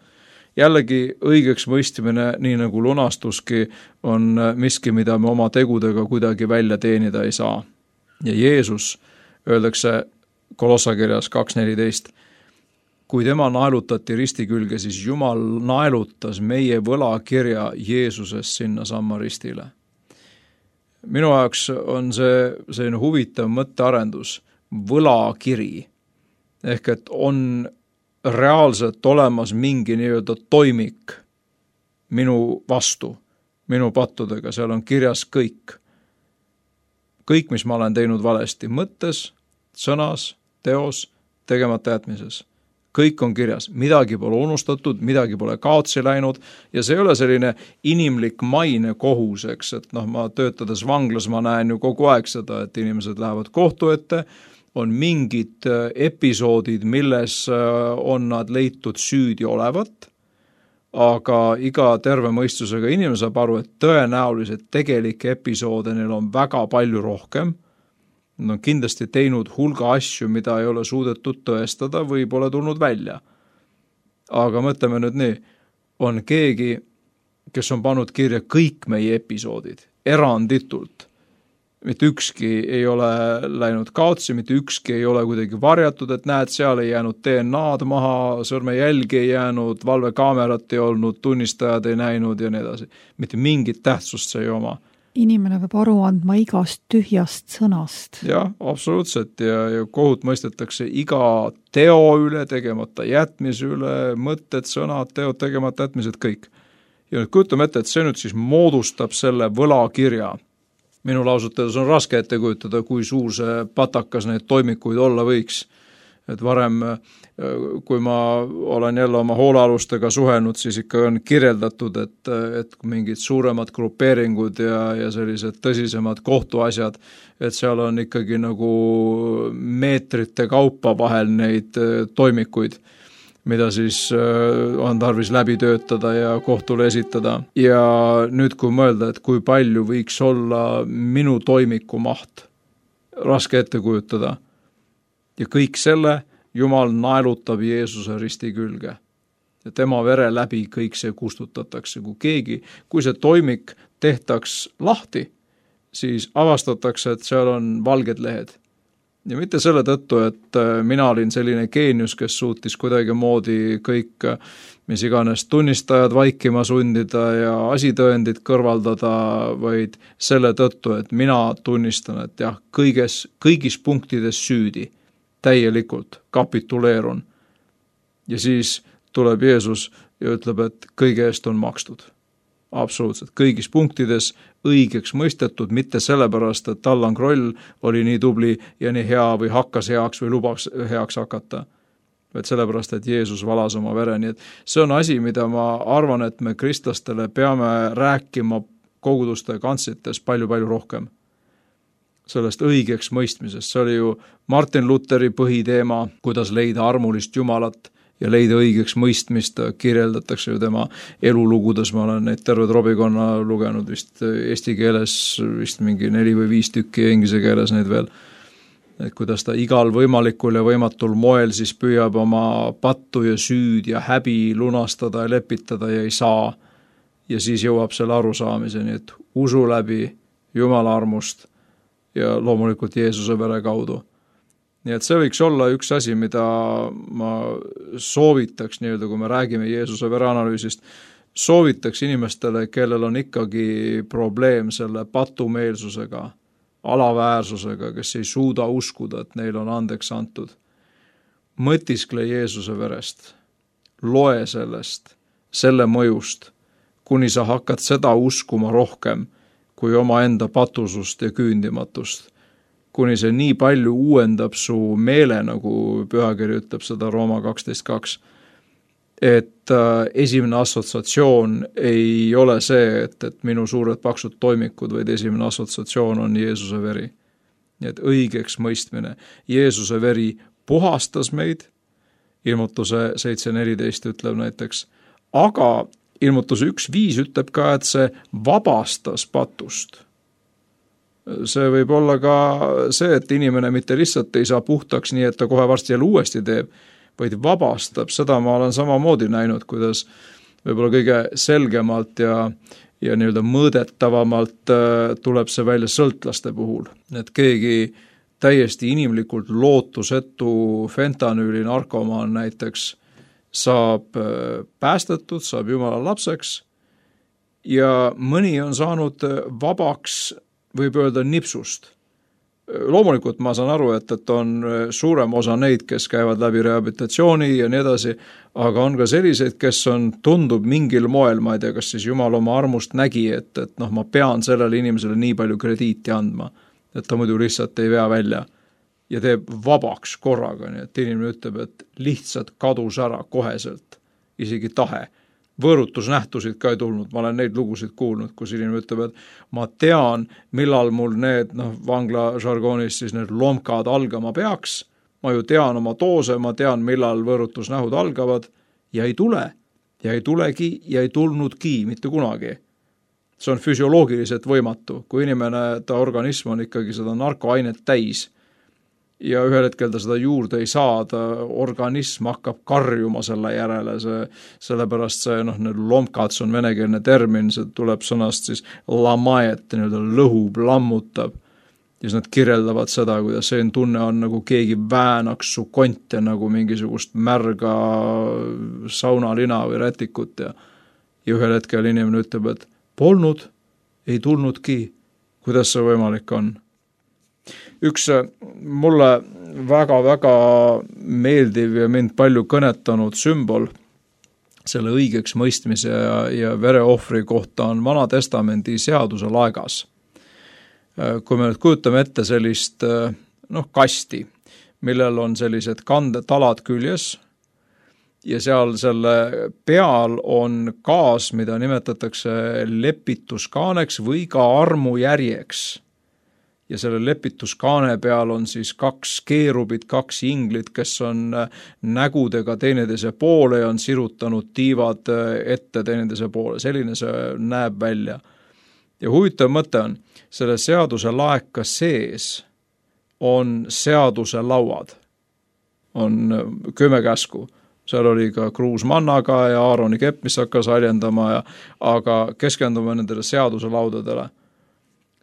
Jällegi õigeks mõistmine, nii nagu lunastuski, on miski, mida me oma tegudega kuidagi välja teenida ei saa. Ja Jeesus, öeldakse Kolossakirjas kaks neliteist, kui tema naelutati risti külge, siis Jumal naelutas meie võlakirja Jeesuses sinna samma ristile. Minu jaoks on see selline huvitav mõttearendus, võlakiri, ehk et on reaalselt olemas mingi nii-öelda toimik minu vastu, minu pattudega, seal on kirjas kõik. Kõik, mis ma olen teinud valesti, mõttes, sõnas, teos, tegemata jätmises. Kõik on kirjas, midagi pole unustatud, midagi pole kaotsi läinud ja see ei ole selline inimlik maine kohus, eks, et noh, ma töötades vanglas, ma näen ju kogu aeg seda, et inimesed lähevad kohtu ette, on mingid episoodid, milles on nad leitud süüdi olevat, aga iga terve mõistusega inimene saab aru, et tõenäoliselt tegelikke episoode neil on väga palju rohkem. Nad on kindlasti teinud hulga asju, mida ei ole suudetud tõestada või pole tulnud välja. Aga mõtleme nüüd nii, on keegi, kes on pannud kirja kõik meie episoodid, eranditult. Mitte ükski ei ole läinud kaotsi, mitte ükski ei ole kuidagi varjatud, et näed, seal ei jäänud D N A-d maha, sõrmejälgi ei jäänud, valvekaamerat ei olnud, tunnistajad ei näinud ja nii edasi. Mitte mingit tähtsust see ei oma. Inimene peab aru andma igast tühjast sõnast. Jah, absoluutselt ja, ja kohut mõistetakse iga teo üle, tegemata jätmise üle, mõtted, sõnad, teod, tegemata jätmised, kõik. Ja nüüd kujutame ette, et see nüüd siis moodustab selle võlakirja. Minu lausutades on raske ette kujutada, kui suur see patakas neid toimikuid olla võiks. Et varem, kui ma olen jälle oma hoolealustega suhelnud, siis ikka on kirjeldatud, et, et mingid suuremad grupeeringud ja, ja sellised tõsisemad kohtuasjad, et seal on ikkagi nagu meetrite kaupa vahel neid toimikuid, mida siis on tarvis läbi töötada ja kohtule esitada. Ja nüüd kui mõelda, et kui palju võiks olla minu toimiku maht, raske ette kujutada. Ja kõik selle Jumal naelutab Jeesuse risti külge. Ja tema vere läbi kõik see kustutatakse. Kui keegi, kui see toimik tehtaks lahti, siis avastatakse, et seal on valged lehed. Ja mitte selle tõttu, et mina olin selline geenius, kes suutis kuidagi moodi kõik, mis iganes tunnistajad vaikima sundida ja asitõendid kõrvaldada, vaid selle tõttu, et mina tunnistan, et jah, kõiges, kõigis punktides süüdi, täielikult kapituleerun. Ja siis tuleb Jeesus ja ütleb, et kõige eest on makstud. Absoluutselt. Kõigis punktides õigeks mõistetud, mitte sellepärast, et Allan Kroll oli nii tubli ja nii hea või hakkas heaks või lubaks heaks hakata. Vaid sellepärast, et Jeesus valas oma vere. Nii et see on asi, mida ma arvan, et me kristlastele peame rääkima koguduste kantsites palju-palju rohkem. Sellest õigeks mõistmisest. See oli ju Martin Lutheri põhiteema, kuidas leida armulist Jumalat ja leida õigeks mõistmist, kirjeldatakse ju tema elulugudes, ma olen neid terved robikonna lugenud vist eesti keeles, vist mingi neli või viis tükki ja inglise keeles neid veel, et kuidas ta igal võimalikul ja võimatul moel siis püüab oma pattu ja süüd ja häbi lunastada ja lepitada ja ei saa ja siis jõuab selle arusaamiseni, et usu läbi Jumala armust ja loomulikult Jeesuse vere kaudu. Nii et see võiks olla üks asi, mida ma soovitaks, nii-öelda, kui me räägime Jeesuse vereanalüüsist, soovitaks inimestele, kellel on ikkagi probleem selle patumeelsusega, alaväärsusega, kes ei suuda uskuda, et neil on andeks antud. Mõtiskle Jeesuse verest, loe sellest, selle mõjust, kuni sa hakkad seda uskuma rohkem kui oma enda patusust ja küündimatust, kuni see nii palju uuendab su meele, nagu pühakiri ütleb seda Rooma kaksteist kaks, et äh, esimene assotsiatsioon ei ole see, et, et minu suured paksud toimikud, vaid esimene assotsiatsioon on Jeesuse veri. Nii et õigeks mõistmine. Jeesuse veri puhastas meid, ilmutuse seitse neliteist ütleb näiteks, aga ilmutuse üks viis ütleb ka, et see vabastas patust. See võib olla ka see, et inimene mitte lihtsalt ei saa puhtaks nii, et ta kohe varsti jälle uuesti teeb, vaid vabastab. Seda ma olen samamoodi näinud, kuidas võib-olla kõige selgemalt ja, ja nii-öelda mõõdetavamalt tuleb see välja sõltlaste puhul. Et keegi täiesti inimlikult lootusetu fentanüüli narkomaan näiteks saab päästetud, saab Jumala lapseks ja mõni on saanud vabaks, võib öelda, nipsust. Loomulikult ma saan aru, et, et on suurem osa neid, kes käivad läbi rehabilitatsiooni ja nii edasi, aga on ka selliseid, kes on, tundub mingil moel, ma ei tea, kas siis Jumal oma armust nägi, et, et noh, ma pean sellele inimesele nii palju krediiti andma, et ta muidu lihtsalt ei vea välja ja teeb vabaks korraga, nii et inimene ütleb, et lihtsalt kadus ära koheselt, isegi tahe. Võõrutusnähtusid ka ei tulnud, ma olen neid lugusid kuulnud, kus inimene ütleb, et ma tean, millal mul need, noh, vangla žargoonis siis need lomkad algama peaks, ma ju tean oma doose, ma tean, millal võõrutusnähud algavad ja ei tule, ja ei tulegi ja ei tulnudki mitte kunagi. See on füsioloogiliselt võimatu, kui inimene, ta organism on ikkagi seda narkoainet täis ja ühel hetkel ta seda juurde ei saa, ta organism hakkab karjuma selle järele, see, sellepärast see, noh, need lomkad, see on venekeelne termin, see tuleb sõnast siis lamaet, nii-öelda lõhub, lammutab. Ja siis nad kirjeldavad seda, kuidas see tunne on nagu keegi väänaks su konte nagu mingisugust märga saunalina või rätikut ja, ja ühel hetkel inimene ütleb, et polnud, ei tulnudki, kuidas see võimalik on. Üks mulle väga-väga meeldiv ja mind palju kõnetanud sümbol selle õigeks mõistmise ja, ja vereohvri kohta on Vana Testamendi seaduse laegas. Kui me nüüd kujutame ette sellist noh, kasti, millel on sellised kandetalad küljes ja seal selle peal on kaas, mida nimetatakse lepituskaaneks või ka armujärjeks. Ja selle lepituskaane peal on siis kaks keerubit, kaks inglit, kes on nägudega teineteise poole ja on sirutanud tiivad ette teineteise poole. Selline see näeb välja. Ja huvitav mõte on, selle seaduse laeka sees on seaduse lauad. On kümme käsku. Seal oli ka kruus mannaga ja Aaroni kepp, mis hakkas haljendama, ja, aga keskendume nendele seaduse laudadele.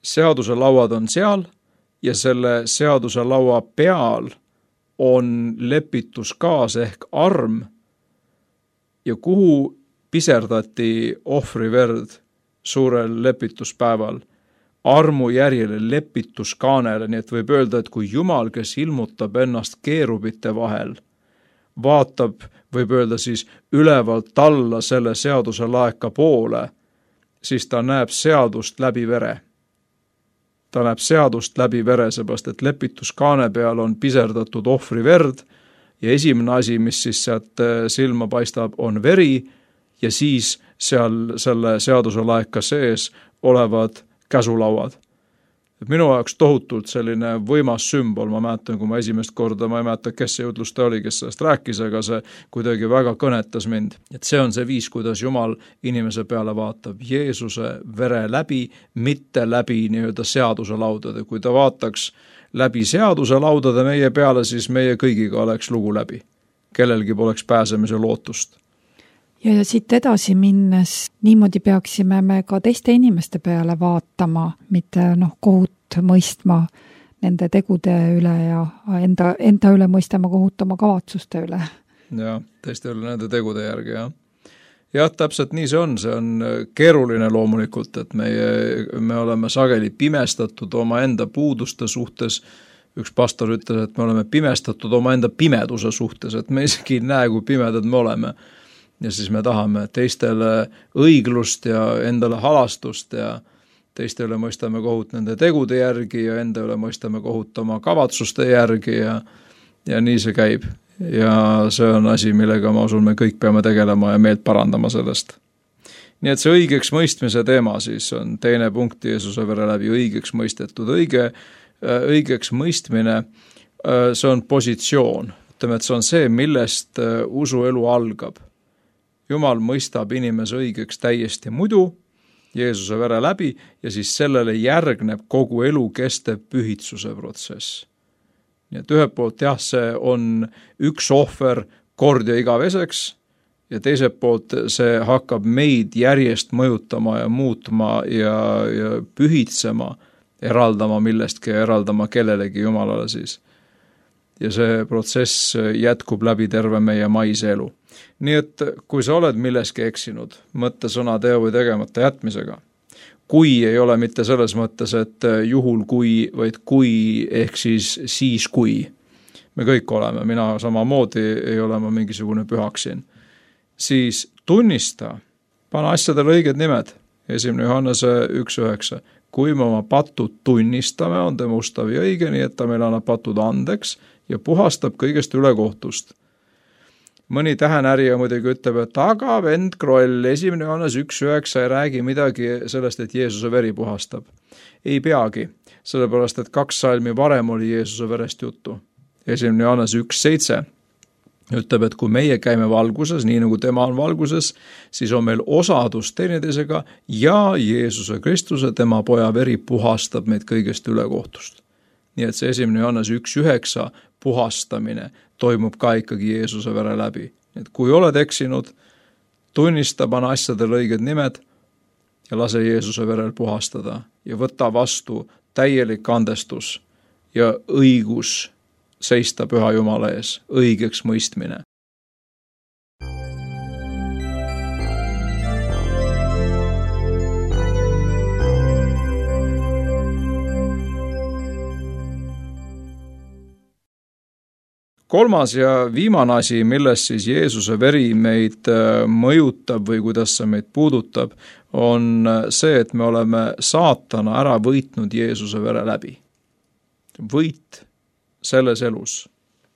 Seaduse lauad on seal ja selle seaduse laua peal on lepituskaas ehk arm ja kuhu piserdati ohvri verd suurel lepituspäeval armu järjele lepituskaanele, nii et võib öelda, et kui Jumal, kes ilmutab ennast keerubite vahel, vaatab, võib öelda siis ülevalt alla selle seaduse laeka poole, siis ta näeb seadust läbi vere. Ta näeb seadust läbi vere, seepärast, et lepituskaane peal on piserdatud ohvri verd ja esimene asi, mis siis sealt silma paistab, on veri ja siis seal selle seaduse laeka sees olevad käsulauad. Minu jaoks tohutult selline võimas sümbol, ma mäletan, kui ma esimest korda, ma ei mäleta, kes see jutlusta oli, kes sellest rääkis, aga see kuidagi väga kõnetas mind. Et see on see viis, kuidas Jumal inimese peale vaatab Jeesuse vere läbi, mitte läbi nii-öelda seaduse laudade. Kui ta vaataks läbi seaduse laudade meie peale, siis meie kõigiga oleks lugu läbi. Kellelgi poleks pääsemise lootust. Ja, ja siit edasi minnes niimoodi peaksime me ka teiste inimeste peale vaatama, mitte noh, kohut mõistma nende tegude üle ja enda, enda üle mõistama kohut oma kavatsuste üle. Ja, teiste üle nende tegude järgi, jah. jah, täpselt nii see on, see on keeruline loomulikult, et meie, me oleme sageli pimestatud oma enda puuduste suhtes. Üks pastor ütles, et me oleme pimestatud oma enda pimeduse suhtes, et me isegi ei näe, kui pimedad me oleme. Ja siis me tahame teistele õiglust ja endale halastust ja teiste üle mõistame kohut nende tegude järgi ja enda üle mõistame kohut oma kavatsuste järgi ja, ja nii see käib. Ja see on asi, millega ma usun, me kõik peame tegelema ja meelt parandama sellest. Nii et see õigeks mõistmise teema siis on teine punkt Jeesuse vere läbi õigeks mõistetud. Õige, õigeks mõistmine, see on positsioon. Ütleme, et see on see, millest usuelu algab. Jumal mõistab inimese õigeks täiesti muidu Jeesuse vere läbi ja siis sellele järgneb kogu elu kestev pühitsuse protsess. Nii et ühelt poolt jah, see on üks ohver kord ja igaveseks ja teiselt poolt see hakkab meid järjest mõjutama ja muutma ja, ja pühitsema, eraldama millestki ja eraldama kellelegi Jumalale siis. Ja see protsess jätkub läbi terve meie maise elu. Nii et kui sa oled milleski eksinud, mõtte, sõna, teo või tegemata jätmisega, kui ei ole mitte selles mõttes, et juhul kui, vaid kui, ehk siis siis kui. Me kõik oleme, mina samamoodi ei ole ma mingisugune pühaksin. Siis tunnista, pane asjadele õiged nimed, esimene Johannese üks üheksa. Kui me oma patud tunnistame, on ta mustav ja õige, nii et ta meil annab patud andeks ja puhastab kõigest ülekohtust. Mõni tähenärija muidugi ütleb, et aga vend Kroll, esimene Johannes üks üheksa ei räägi midagi sellest, et Jeesuse veri puhastab. Ei peagi, sellepärast, et kaks salmi varem oli Jeesuse verest juttu. esimene Johannes üks seitse ütleb, et kui meie käime valguses, nii nagu tema on valguses, siis on meil osadus teineteisega ja Jeesuse Kristuse, tema poja veri puhastab meid kõigest ülekohtust. Nii et see esimene Johannes üks üheksa puhastamine toimub ka ikkagi Jeesuse vere läbi. Et kui oled eksinud, tunnista, pane asjadele õiged nimed ja lase Jeesuse verel puhastada ja võta vastu täielik andestus ja õigus seista püha Jumala ees, õigeks mõistmine. Kolmas ja viimane asi, milles siis Jeesuse veri meid mõjutab või kuidas see meid puudutab, on see, et me oleme saatana ära võitnud Jeesuse vere läbi. Võit selles elus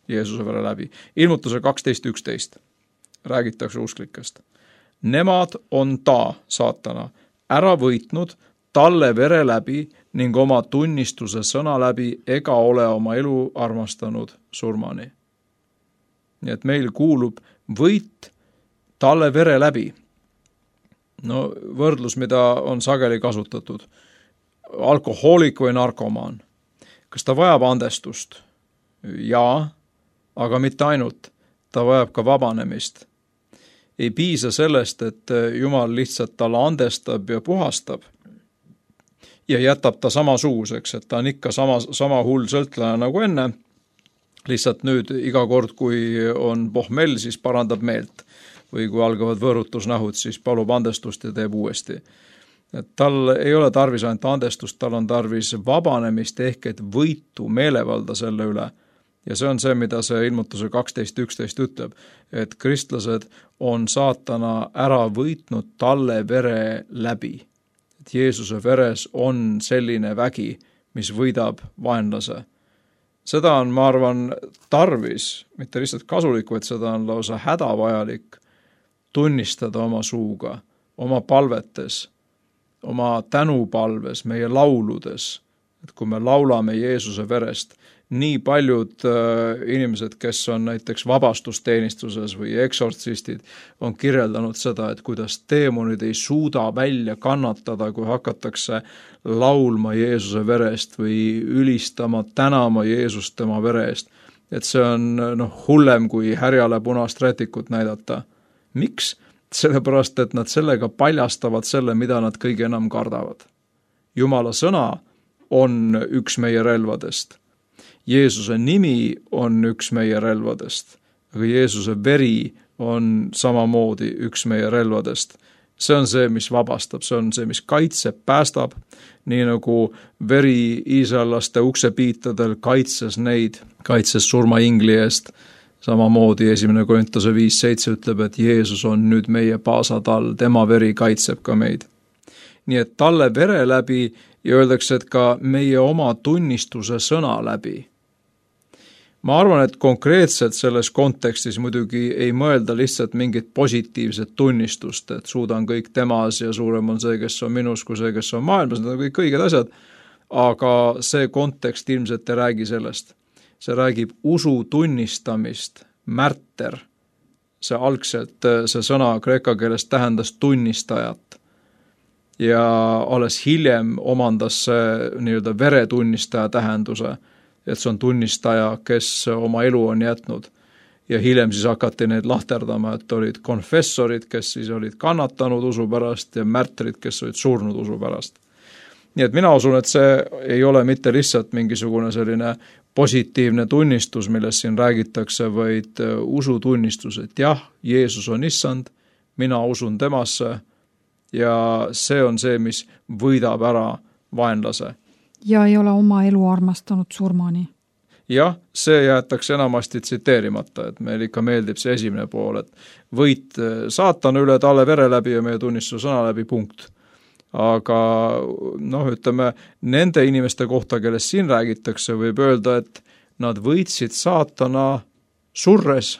Jeesuse vere läbi. Ilmutuse kaksteist üksteist räägitakse usklikest. Nemad on ta, saatana, ära võitnud talle vere läbi ning oma tunnistuse sõna läbi ega ole oma elu armastanud surmani. Nii et meil kuulub võit talle vere läbi. No võrdlus, mida on sageli kasutatud. Alkohoolik või narkomaan. Kas ta vajab andestust? Jaa, aga mitte ainult. Ta vajab ka vabanemist. Ei piisa sellest, et Jumal lihtsalt talle andestab ja puhastab ja jätab ta samasuguseks, et ta on ikka sama, sama hull sõltlaja nagu enne. Lihtsalt nüüd iga kord, kui on pohmell, siis parandab meelt. Või kui algavad võõrutusnähud, siis palub andestust ja teeb uuesti. Et tal ei ole tarvis ainult andestust, tal on tarvis vabanemist ehk et võitu meelevalda selle üle. Ja see on see, mida see ilmutuse kaksteist üksteist ütleb, et kristlased on saatana ära võitnud talle vere läbi. Et Jeesuse veres on selline vägi, mis võidab vaenlase. Seda on, ma arvan, tarvis, mitte lihtsalt kasulik, vaid seda on lausa hädavajalik tunnistada oma suuga, oma palvetes, oma tänupalves, meie lauludes. Et kui me laulame Jeesuse verest, nii paljud äh, inimesed, kes on näiteks vabastusteenistuses või eksortsistid, on kirjeldanud seda, et kuidas teemonid ei suuda välja kannatada, kui hakatakse laulma Jeesuse verest või ülistama, tänama Jeesust tema vere eest. Et see on noh, hullem kui härjale punast rätikut näidata. Miks? Sellepärast, et nad sellega paljastavad selle, mida nad kõige enam kardavad. Jumala sõna on üks meie relvadest. Jeesuse nimi on üks meie relvadest. aga Jeesuse veri on samamoodi üks meie relvadest. See on see, mis vabastab, see on see, mis kaitseb, päästab, nii nagu veri iisraellaste uksepiitadel kaitses neid, kaitses surmaingli eest. Samamoodi esimene Korintuse viis seitse ütleb, et Jeesus on nüüd meie paasatall, tema veri kaitseb ka meid. Nii et talle vere läbi ja öeldakse, et ka meie oma tunnistuse sõna läbi. Ma arvan, et konkreetselt selles kontekstis muidugi ei mõelda lihtsalt mingit positiivset tunnistust, et suudan kõik temas ja suurem on see, kes on minus, kui see, kes on maailmas, need on kõik õiged asjad, aga see kontekst ilmselt ei räägi sellest. See räägib usu tunnistamist, märter, see algselt, see sõna kreeka keeles tähendas tunnistajat ja alles hiljem omandas see nii-öelda veretunnistaja tähenduse, et see on tunnistaja, kes oma elu on jätnud. Ja hiljem siis hakati neid lahterdama, et olid konfessorid, kes siis olid kannatanud usu pärast ja märtrid, kes olid surnud usu pärast. Nii et mina usun, et see ei ole mitte lihtsalt mingisugune selline positiivne tunnistus, millest siin räägitakse, vaid usutunnistus, et jah, Jeesus on issand, mina usun temasse ja see on see, mis võidab ära vaenlase. Ja ei ole oma elu armastanud surmani. Jah, see jäetakse enamasti tsiteerimata, et meil ikka meeldib see esimene pool, et võit saatana üle talle vere läbi ja meie tunnistuse sõna läbi punkt. Aga noh, ütleme, nende inimeste kohta, kellest siin räägitakse, võib öelda, et nad võitsid saatana surres.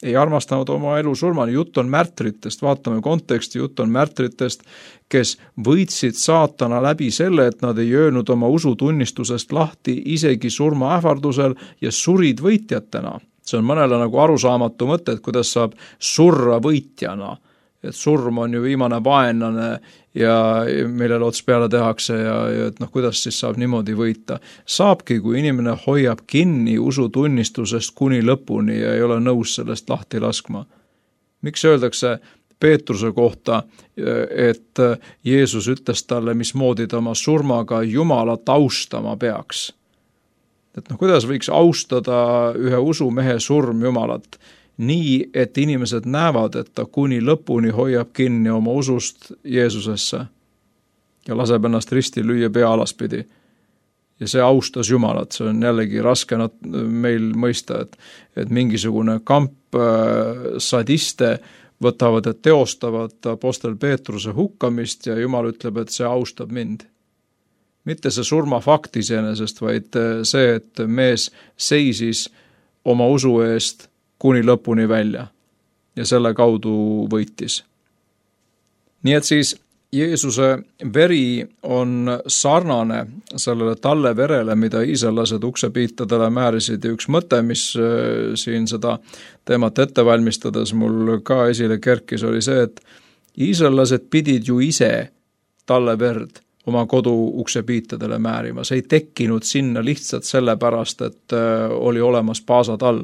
Ei armastanud oma elu surmani, jutt on märtritest, vaatame konteksti, jutt on märtritest, kes võitsid saatana läbi selle, et nad ei öelnud oma usutunnistusest lahti isegi surma ähvardusel ja surid võitjatena. See on mõnele nagu arusaamatu mõte, et kuidas saab surra võitjana, et surm on ju viimane vaenlane ja millele ots peale tehakse ja, ja et noh, kuidas siis saab niimoodi võita. Saabki, kui inimene hoiab kinni usutunnistusest kuni lõpuni ja ei ole nõus sellest lahti laskma. Miks öeldakse Peetruse kohta, et Jeesus ütles talle, mismoodi ta oma surmaga Jumalat austama peaks? Et noh, kuidas võiks austada ühe usumehe surm Jumalat? Nii, et inimesed näevad, et ta kuni lõpuni hoiab kinni oma usust Jeesusesse ja laseb ennast risti lüüa pea alaspidi. Ja see austas Jumalat, see on jällegi raske meil mõista, et, et mingisugune kamp sadiste võtavad ja teostavad apostel Peetruse hukkamist ja Jumal ütleb, et see austab mind. Mitte see surmafakt iseenesest, vaid see, et mees seisis oma usu eest kuni lõpuni välja ja selle kaudu võitis. Nii et siis Jeesuse veri on sarnane sellele talle verele, mida iisraellased uksepiitadele määrisid ja üks mõte, mis siin seda teemat ette valmistades mul ka esile kerkis, oli see, et iisraellased pidid ju ise talle verd oma kodu uksepiitadele määrima. See ei tekkinud sinna lihtsalt sellepärast, et oli olemas paasatall,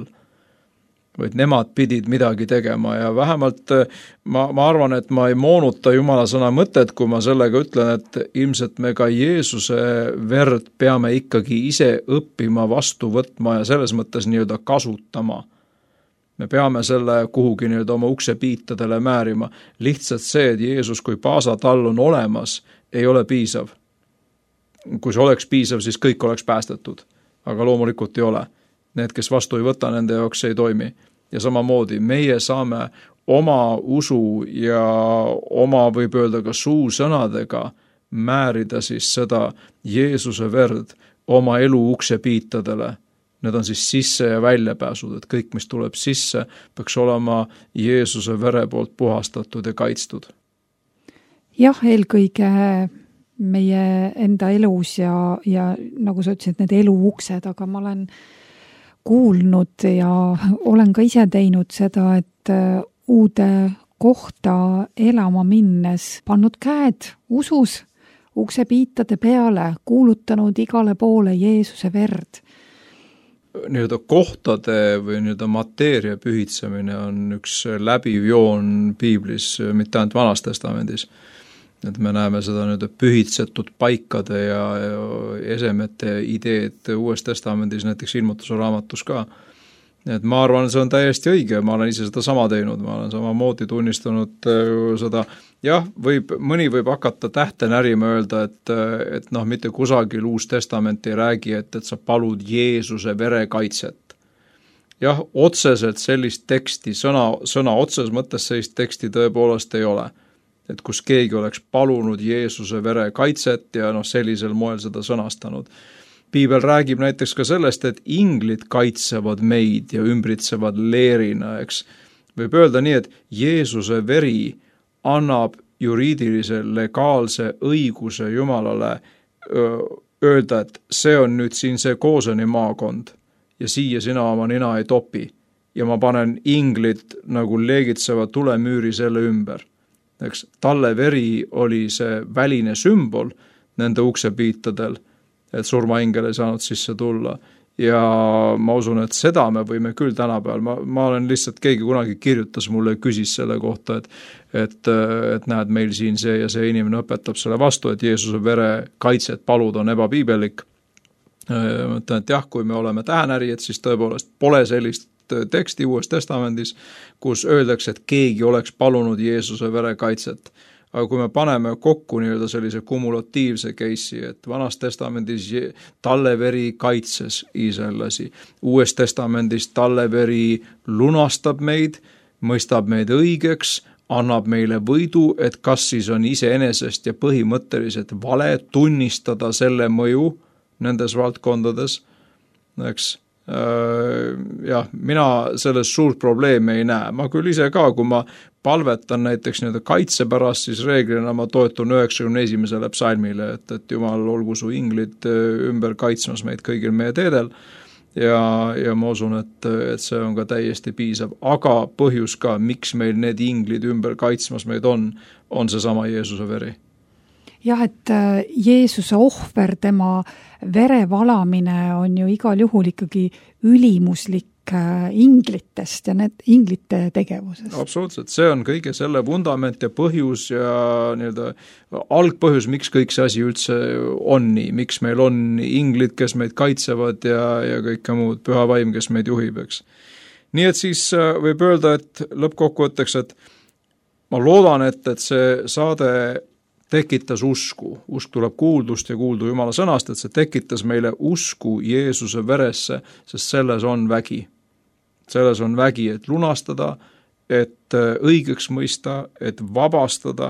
vaid nemad pidid midagi tegema ja vähemalt ma, ma arvan, et ma ei moonuta Jumala sõna mõtet, kui ma sellega ütlen, et ilmselt me ka Jeesuse verd peame ikkagi ise õppima, vastu võtma ja selles mõttes nii-öelda kasutama. Me peame selle kuhugi nii-öelda oma uksepiitadele määrima. Lihtsalt see, et Jeesus kui paasatall on olemas, ei ole piisav. Kui see oleks piisav, siis kõik oleks päästetud, aga loomulikult ei ole. Need, kes vastu ei võta, nende jaoks ei toimi. Ja samamoodi meie saame oma usu ja oma, võib öelda ka suusõnadega määrida siis seda Jeesuse verd oma elu uksepiitadele. Need on siis sisse ja väljapääsud, et kõik, mis tuleb sisse, peaks olema Jeesuse vere poolt puhastatud ja kaitstud. Jah, eelkõige meie enda elus ja, ja nagu sa ütlesid, need elu uksed, aga ma olen kuulnud ja olen ka ise teinud seda, et uude kohta elama minnes pannud käed usus uksepiitade peale, kuulutanud igale poole Jeesuse verd. Nii-öelda kohtade või nii-öelda mateeria pühitsemine on üks läbiv joon piiblis, mitte ainult Vanas Testamendis. Et me näeme seda nüüd pühitsetud paikade ja, ja esemete ideed Uues Testamendis, näiteks Ilmutuse raamatus ka. et ma arvan, see on täiesti õige, ma olen ise seda sama teinud, ma olen samamoodi tunnistanud seda, jah, võib, mõni võib hakata tähte närima öelda, et, et noh, mitte kusagil Uus Testament ei räägi, et, et sa palud Jeesuse vere kaitset. Jah, otseselt sellist teksti, sõna, sõna otses mõttes sellist teksti tõepoolest ei ole. Et kus keegi oleks palunud Jeesuse vere kaitset ja noh, sellisel moel seda sõnastanud. Piibel räägib näiteks ka sellest, et inglid kaitsevad meid ja ümbritsevad leerina, eks. Võib öelda nii, et Jeesuse veri annab juriidilise legaalse õiguse Jumalale öelda, et see on nüüd siin see Kooseni maakond ja siia sina oma nina ei topi ja ma panen inglid nagu leegitseva tulemüüri selle ümber. Eks, talle veri oli see väline sümbol nende uksepiitadel, et surmaingel ei saanud sisse tulla. Ja ma usun, et seda me võime küll tänapäeval. Ma, ma olen lihtsalt, keegi kunagi kirjutas mulle ja küsis selle kohta, et, et, et näed, meil siin see ja see inimene õpetab selle vastu, et Jeesuse vere kaitset palud on ebapiibelik. Ma mõtlen, et jah, kui me oleme tähenärijad, siis tõepoolest pole sellist teksti Uues Testamendis, kus öeldakse, et keegi oleks palunud Jeesuse vere kaitset. Aga kui me paneme kokku nii-öelda sellise kumulatiivse case'i, et Vanas Testamendis talle veri kaitses Iisraellasi, Uues Testamendis talle veri lunastab meid, mõistab meid õigeks, annab meile võidu, et kas siis on iseenesest ja põhimõtteliselt vale tunnistada selle mõju nendes valdkondades, eks. Jah, mina selles suurt probleemi ei näe. Ma küll ise ka, kui ma palvetan näiteks nii-öelda kaitse pärast, siis reeglina ma toetun üheksakümne esimesele psalmile, et, et Jumal olgu su inglid ümber kaitsmas meid kõigil meie teedel ja, ja ma usun, et, et see on ka täiesti piisav. Aga põhjus ka, miks meil need inglid ümber kaitsmas meid on, on seesama Jeesuse veri. Jah, et Jeesuse ohver, tema verevalamine on ju igal juhul ikkagi ülimuslik inglitest ja need inglite tegevusest. Absoluutselt, see on kõige selle vundament ja põhjus ja nii-öelda algpõhjus, miks kõik see asi üldse on nii, miks meil on inglid, kes meid kaitsevad ja, ja kõike muud, püha vaim, kes meid juhib, eks. Nii et siis võib öelda, et lõppkokkuvõtteks, et ma loodan, et, et see saade tekitas usku. Usk tuleb kuuldust ja kuuldu Jumala sõnast, et see tekitas meile usku Jeesuse veresse, sest selles on vägi. Selles on vägi, et lunastada, et õigeks mõista, et vabastada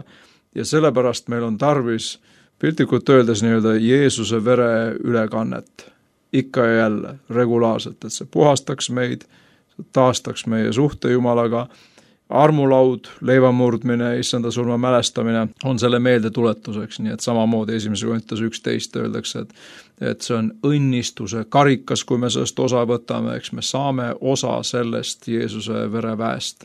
ja sellepärast meil on tarvis piltlikult öeldes nii-öelda Jeesuse vere ülekannet. Ikka ja jälle, regulaarselt, et see puhastaks meid, taastaks meie suhte Jumalaga. Armulaud, leivamurdmine, issanda surma mälestamine on selle meelde tuletuseks, nii et samamoodi esimese Korinthuse üksteist öeldakse, et, et see on õnnistuse karikas, kui me sellest osa võtame, eks me saame osa sellest Jeesuse vereväest.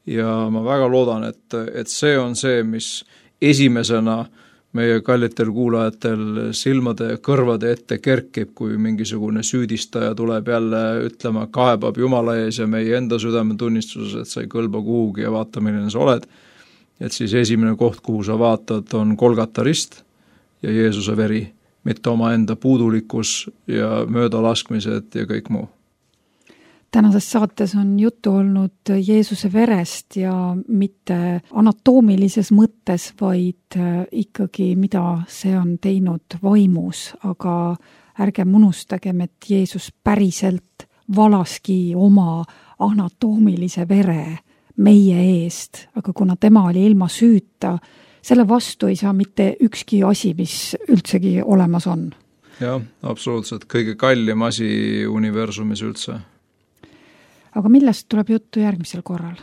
Ja ma väga loodan, et, et see on see, mis esimesena meie kallitel kuulajatel silmade ja kõrvade ette kerkib, kui mingisugune süüdistaja tuleb jälle ütlema, kaebab Jumala ees ja meie enda südametunnistuses, et sa ei kõlba kuhugi ja vaata, milline sa oled. Et siis esimene koht, kuhu sa vaatad, on Golgata rist ja Jeesuse veri, mitte oma enda puudulikkus ja möödalaskmised ja kõik muu. Tänases saates on juttu olnud Jeesuse verest ja mitte anatoomilises mõttes, vaid ikkagi mida see on teinud vaimus, aga ärgem unustagem, et Jeesus päriselt valaski oma anatoomilise vere meie eest, aga kuna tema oli ilma süüta, selle vastu ei saa mitte ükski asi, mis üldsegi olemas on. Jah, absoluutselt, kõige kallim asi universumis üldse. Aga millest tuleb juttu järgmisel korral?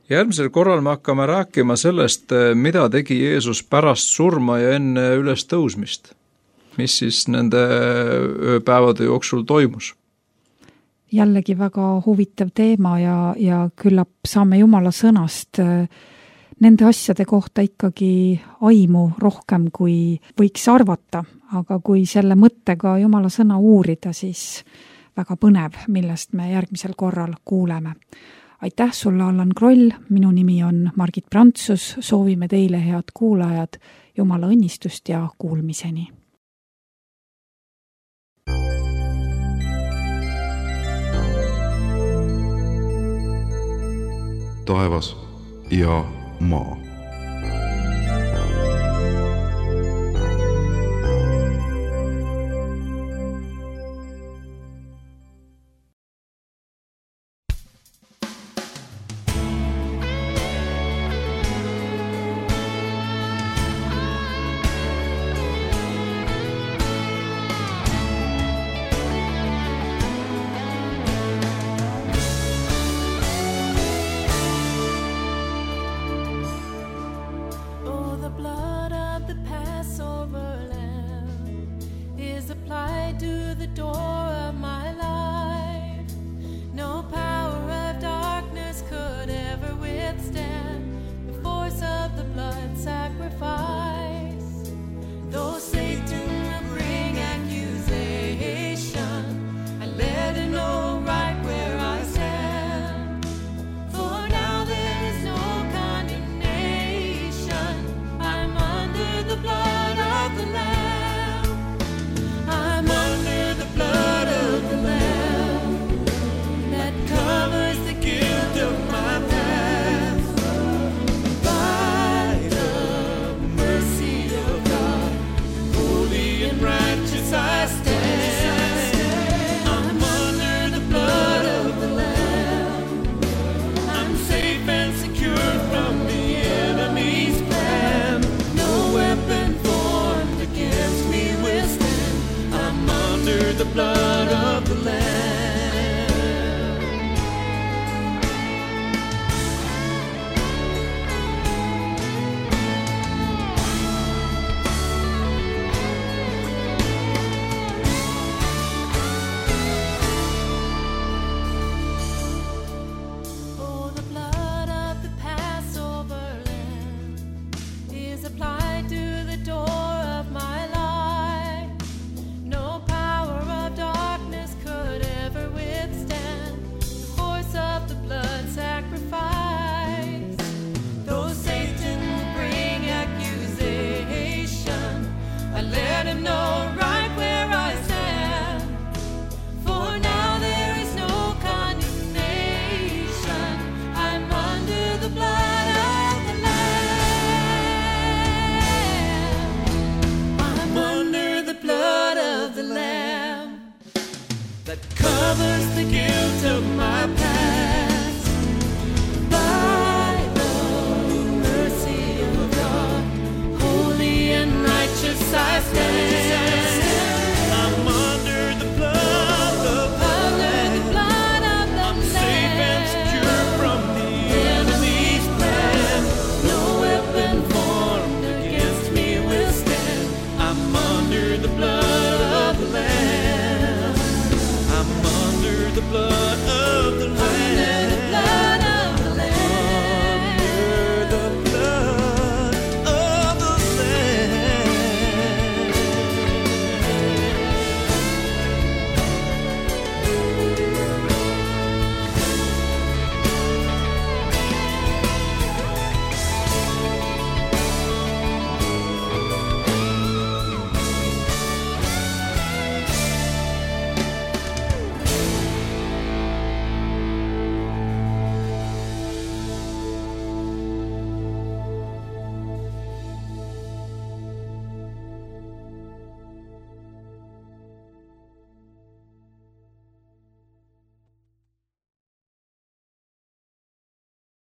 Järgmisel korral me hakkame rääkima sellest, mida tegi Jeesus pärast surma ja enne üles tõusmist. Mis siis nende ööpäevade jooksul toimus? Jällegi väga huvitav teema ja, ja küllap saame Jumala sõnast nende asjade kohta ikkagi aimu rohkem, kui võiks arvata. Aga kui selle mõttega Jumala sõna uurida, siis väga põnev, millest me järgmisel korral kuuleme. Aitäh sulle, Allan Kroll, minu nimi on Margit Prantsus, soovime teile head kuulajad, Jumala õnnistust ja kuulmiseni. taevas ja maa.